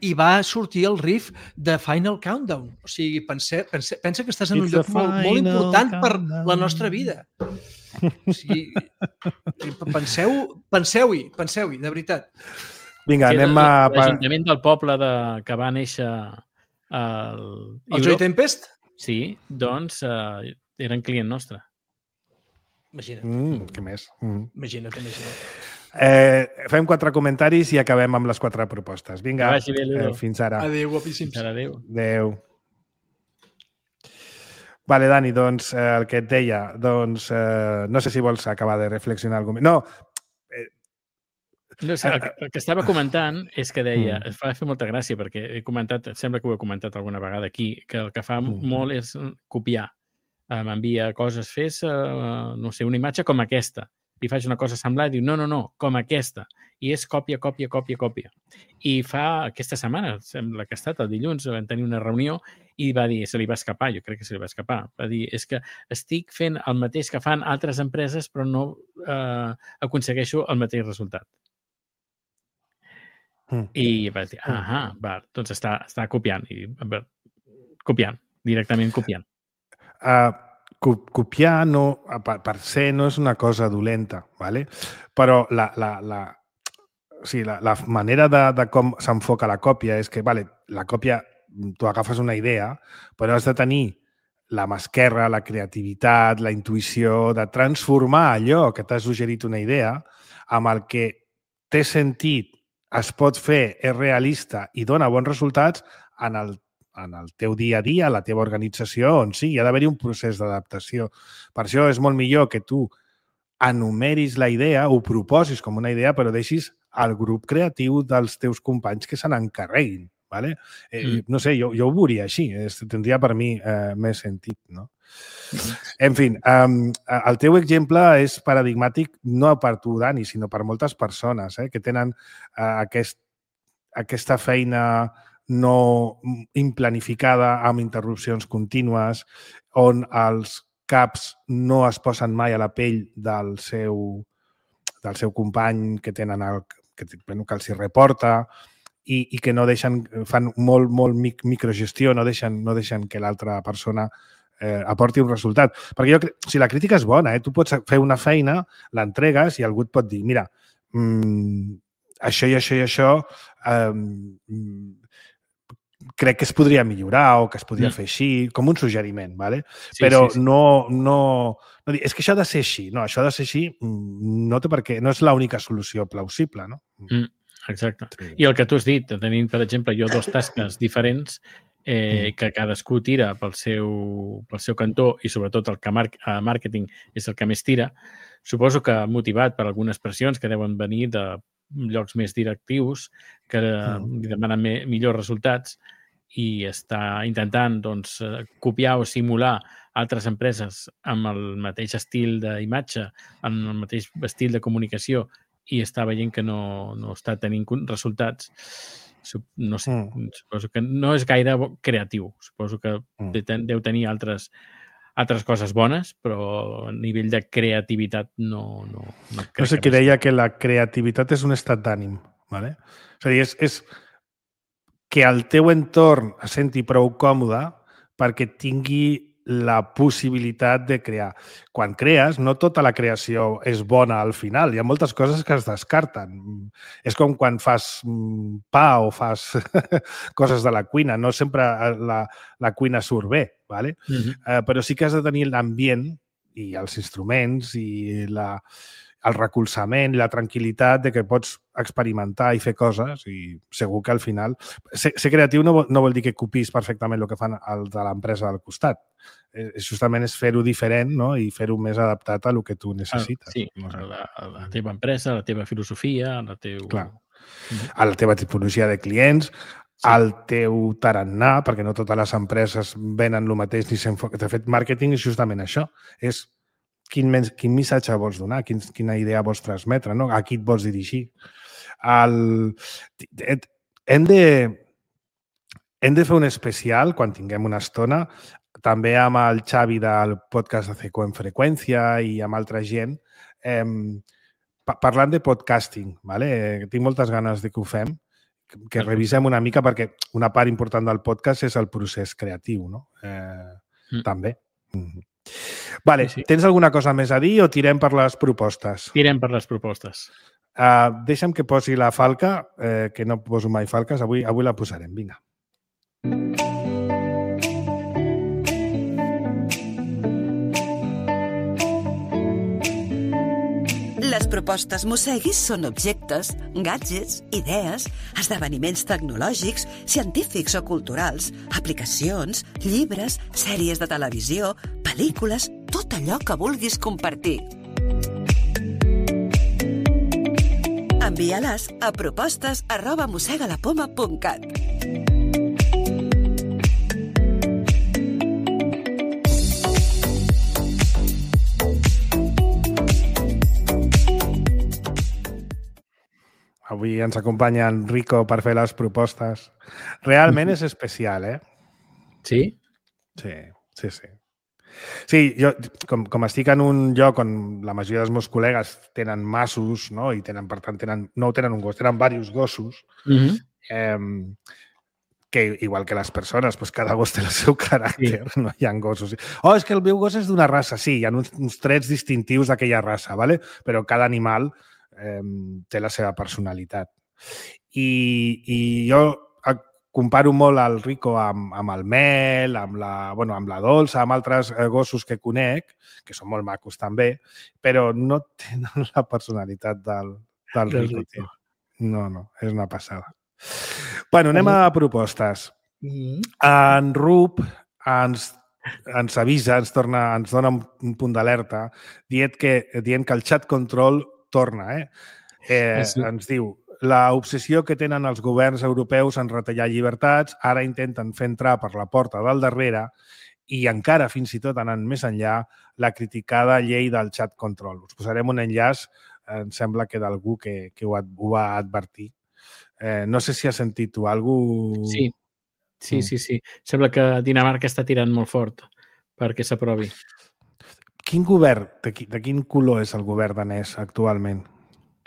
i va sortir el riff de Final Countdown. O sigui, pensa que estàs en un lloc molt important per la nostra vida. O sigui, penseu-hi, de veritat. Vinga, anem a... L'Ajuntament del poble que va néixer el Joy Tempest? Sí, doncs eren client nostre. Imagina't. Què més? Imagina't. Fem 4 comentaris i acabem amb les 4 propostes. Vinga, fins ara. Adéu, guapíssims. Adéu. Vale, Dani, doncs el que et deia, doncs no sé si vols acabar de reflexionar alguna cosa. No, el que estava comentant és que deia, es va fer molta gràcia perquè he comentat, sembla que ho he comentat alguna vegada aquí, que el que fa molt és copiar. M'envia coses, fes, no sé, una imatge com aquesta. I faig una cosa semblant i diu, no, com aquesta. I és còpia. I fa aquesta setmana, sembla que ha estat el dilluns, vam tenir una reunió i va dir, se li va escapar, jo crec que se li va escapar, va dir, és que estic fent el mateix que fan altres empreses però no aconsegueixo el mateix resultat. I vaig dir, doncs està copiant. Directament copiant. Copiar no, per se no és una cosa dolenta, ¿vale? Però la manera de com s'enfoca la còpia és que, vale, la còpia, tu agafes una idea, però has de tenir la mà esquerra, la creativitat, la intuïció de transformar allò que t'has suggerit una idea amb el que té sentit, es pot fer, és realista i dona bons resultats en el teu dia a dia, a la teva organització, on sí, hi ha d'haver-hi un procés d'adaptació. Per això és molt millor que tu enumeris la idea, ho proposis com una idea, però deixis al grup creatiu dels teus companys que se n'encarreguin. ¿Vale? No sé, jo ho veuria així. Tindria per mi més sentit, no? En fi, el teu exemple és paradigmàtic no per tu, Dani, sinó per moltes persones que tenen aquesta feina no implanificada amb interrupcions contínues, on els caps no es posen mai a la pell del seu company que tenen que els hi reporta, i que no deixen, fan molt microgestió, no deixen que l'altra persona aporti un resultat. Perquè si la crítica és bona, tu pots fer una feina, l'entregues i algú et pot dir, mira, això i això i això crec que es podria millorar o que es podria fer així, com un suggeriment, ¿vale? Sí, però sí. No dir, és que això ha de ser així. No, això ha de ser així no té per què, no és l'única solució plausible, no? Exacte. Sí. I el que tu has dit, tenint, per exemple, jo dos tasques diferents que cadascú tira pel seu cantó i sobretot el que màrqueting és el que més tira, suposo que motivat per algunes pressions que deuen venir de llocs més directius que demanen millors resultats i està intentant copiar o simular altres empreses amb el mateix estil d'imatge, amb el mateix estil de comunicació i està veient que no està tenint resultats, no sé, suposo que no és gaire creatiu. Suposo que deu tenir altres coses bones, però a nivell de creativitat no crec. No sé qui deia que la creativitat és un estat d'ànim, ¿vale? És a dir, és que el teu entorn es senti prou còmode perquè tingui la possibilitat de crear. Quan crees, no tota la creació és bona al final. Hi ha moltes coses que es descarten. És com quan fas pa o fas coses de la cuina. No sempre la cuina surt bé, ¿vale? Però sí que has de tenir l'ambient i els instruments i el recolzament i la tranquil·litat de que pots experimentar i fer coses i segur que al final... Ser creatiu no vol dir que copiïs perfectament el que fan el de l'empresa del costat. Justament és fer-ho diferent, no? I fer-ho més adaptat a el que tu necessites. Sí, a la teva empresa, a la teva filosofia, a la teva tipologia de clients, al teu tarannà, perquè no totes les empreses venen el mateix ni s'enfoquen. De fet, màrqueting és justament això. És quin missatge vols donar, quina idea vols transmetre, no? A qui et vols dirigir. Hem de fer un especial, quan tinguem una estona, també amb el Xavi del podcast de CECO en Freqüència i amb altra gent, parlant de podcasting. ¿Vale? Tinc moltes ganes de que ho fem, que revisem una mica, perquè una part important del podcast és el procés creatiu, no? També. Vale, sí. Tens alguna cosa més a dir o tirem per les propostes? Tirem per les propostes. Deixa'm que posi la falca, que no poso mai falques, avui la posarem, vinga. Les propostes Mosseguis són objectes, gadgets, idees, esdeveniments tecnològics, científics o culturals, aplicacions, llibres, sèries de televisió, pel·lícules, tot allò que vulguis compartir. Envia-les a propostes@mossegalapoma.cat. Avui ens acompanya en Rico per fer les propostes. Realment és especial, eh? Sí? Sí. Sí, jo, com estic en un lloc on la majoria dels meus col·legues tenen massos, no? I tenen, per tant, no tenen un gos, tenen diversos gossos, que igual que les persones, doncs cada gos té el seu caràcter, sí. No hi ha gossos. Oh, és que el meu gos és d'una raça. Sí, hi ha uns trets distintius d'aquella raça, ¿vale? Però cada animal té la seva personalitat. I jo comparo molt el Rico amb el Mel, amb la Dolça, amb altres gossos que conec, que són molt macos també, però no tenen la personalitat del Rico. No, és una passada. Bueno, anem a propostes. En Rup ens avisa, ens dona un punt d'alerta dient que el chat control torna. Ens diu: l'obsessió que tenen els governs europeus en retallar llibertats, ara intenten fer entrar per la porta del darrere i encara, fins i tot anant més enllà, la criticada llei del chat control. Us posarem un enllaç, em sembla que d'algú que ho va advertir. No sé si has sentit tu alguna cosa... Sí. Sembla que Dinamarca està tirant molt fort perquè s'aprovi. Quin govern, de quin color és el govern danès actualment?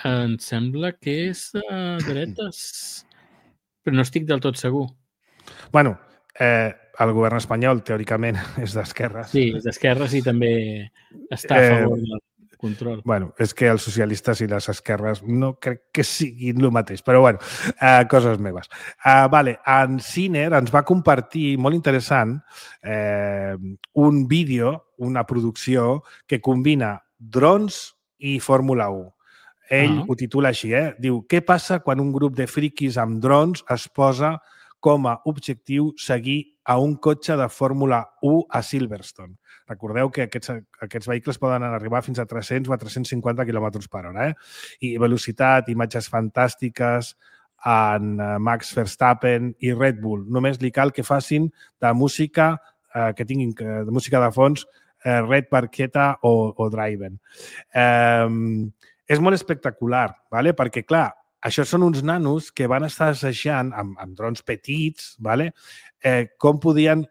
Em sembla que és de dretes, però no estic del tot segur. Bueno, el govern espanyol, teòricament, és d'esquerres. Sí, és d'esquerres i també està a favor del control. Bueno, és que els socialistes i les esquerres no crec que siguin el mateix, però bueno, coses meves. Vale, en Ciner ens va compartir, molt interessant, un vídeo, una producció que combina drons i Fórmula 1. Ell ho titula així, diu: què passa quan un grup de friquis amb drons es posa com a objectiu seguir a un cotxe de Fórmula 1 a Silverstone? Recordeu que aquests vehicles poden arribar fins a 300 o a 350 km per hora. I velocitat, imatges fantàstiques en Max Verstappen i Red Bull. Només li cal que facin de música, que tinguin de música de fons, Red Barqueta o Driven. És molt espectacular, perquè, clar, això són uns nanos que van estar assajant amb drons petits com podien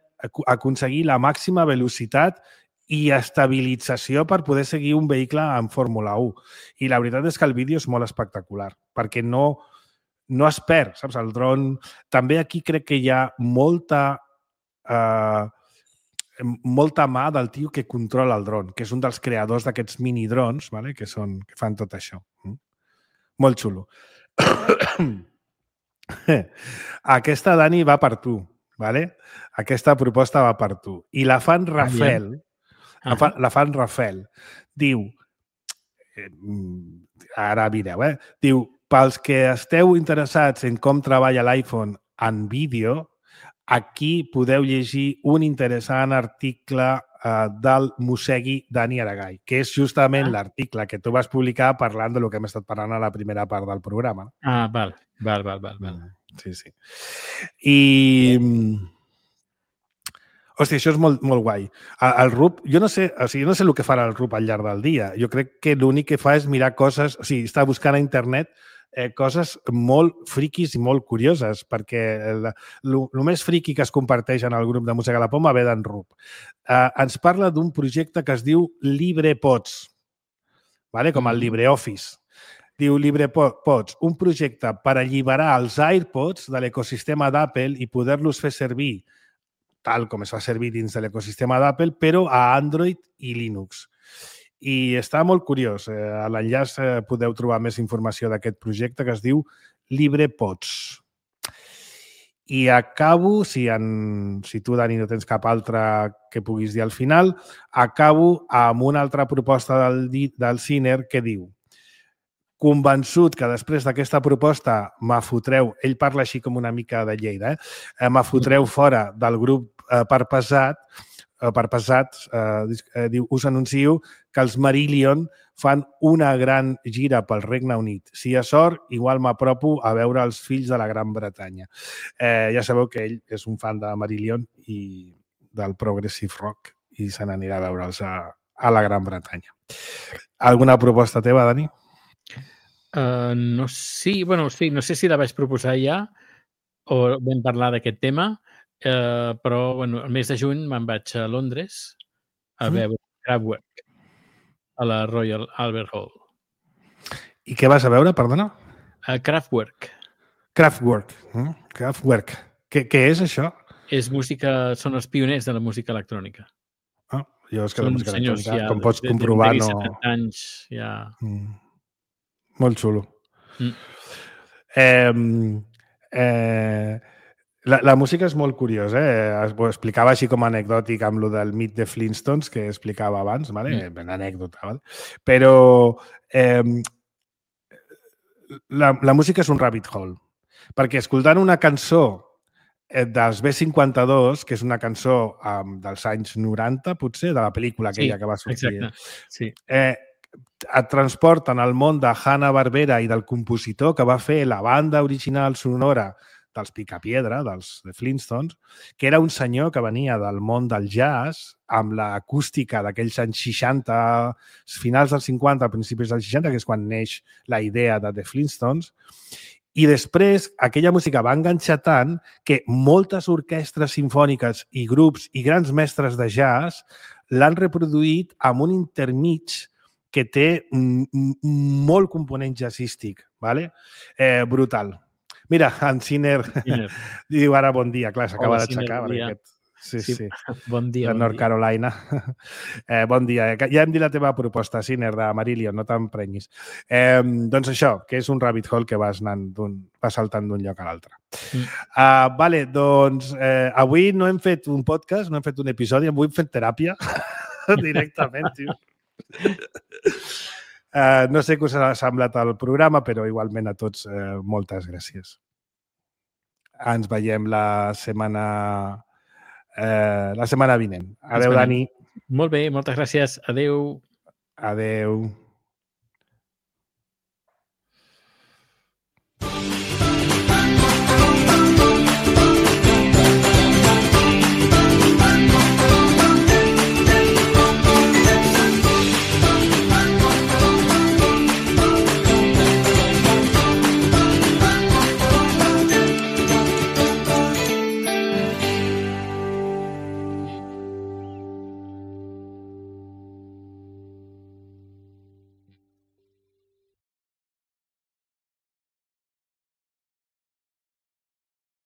aconseguir la màxima velocitat i estabilització per poder seguir un vehicle en Fórmula 1. I la veritat és que el vídeo és molt espectacular, perquè no es perd, saps? El dron... També aquí crec que hi ha molta mà del tio que controla el dron, que és un dels creadors d'aquests mini-drons, que fan tot això. Molt xulo. Aquesta, Dani, va per tu. Aquesta proposta va per tu. I la fan Rafael, diu, ara mireu, diu: pels que esteu interessats en com treballa l'iPhone en vídeo, aquí podeu llegir un interessant article del Mosegui Dani Aragay, que és justament l'article que tu vas publicar parlant del que hem estat parlant a la primera part del programa. Val. Sí. I... Hòstia, això és molt guai. El RUP, jo no sé el que farà el RUP al llarg del dia. Jo crec que l'únic que fa és mirar coses, o sigui, està buscant a internet coses molt friquis i molt curioses, perquè el més friqui que es comparteix en el grup de Música a la Poma ve d'en RUP. Ens parla d'un projecte que es diu LibrePods, com el LibreOffice. Diu LibrePods, un projecte per alliberar els AirPods de l'ecosistema d'Apple i poder-los fer servir tal com es fa servir dins de l'ecosistema d'Apple, però a Android i Linux. I està molt curiós. A l'enllaç podeu trobar més informació d'aquest projecte que es diu LibrePods. I acabo, si tu, Dani, no tens cap altra que puguis dir al final, acabo amb una altra proposta del Ciner que diu: convençut que després d'aquesta proposta m'afotreu, ell parla així com una mica de Lleida, m'afotreu fora del grup Parpesats, diu, us anuncio que els Marillion fan una gran gira pel Regne Unit. Si hi ha sort, igual m'apropo a veure els fills de la Gran Bretanya. Ja sabeu que ell és un fan de Marillion i del Progressive Rock i se n'anirà a veure'ls a la Gran Bretanya. Alguna proposta teva, Dani? No sé si la vaig proposar ja o vam parlar d'aquest tema, però el mes de juny me'n vaig a Londres a veure Kraftwerk a la Royal Albert Hall. I què vas a veure, perdona? Kraftwerk. Kraftwerk. Kraftwerk. Què és això? És música, són els pioners de la música electrònica. Jo és que Són la música senyors electrònica, ja com pots comprovar, de no... 70 anys ja... Molt xulo. La música és molt curiosa, ho explicava així com anecdòtic amb lo del mit de Flintstones que explicava abans, vale? Ben anècdota, vale? Però la música és un rabbit hole, perquè escoltant una cançó dels B-52, que és una cançó dels anys 90, potser, de la pel·lícula aquella que va sortir. Exacte, sí. Et transporten al món de Hanna-Barbera i del compositor que va fer la banda original sonora dels Picapiedra, dels de Flintstones, que era un senyor que venia del món del jazz, amb l'acústica d'aquells anys 60, finals dels 50, principis dels 60, que és quan neix la idea de The Flintstones. I després aquella música va enganxar tant que moltes orquestres simfòniques i grups i grans mestres de jazz l'han reproduït amb un intermig que té molt component jazzístic. ¿Vale? Brutal. Mira, en Sinner diu ara bon dia. Clar, s'acaba d'aixecar. Sí. Bon dia. De North Carolina. Bon dia. Ja hem dit la teva proposta, Sinner, de Marillion, no t'emprenyis. Doncs això, que és un rabbit hole que vas saltant d'un lloc a l'altre. Vale, doncs avui no hem fet un podcast, no hem fet un episodi, avui hem fet teràpia directament, tio. No sé què us ha semblat el programa, però igualment a tots moltes gràcies. Ens veiem la setmana vinent. Adéu, Dani. Molt bé, moltes gràcies. Adéu. Adéu.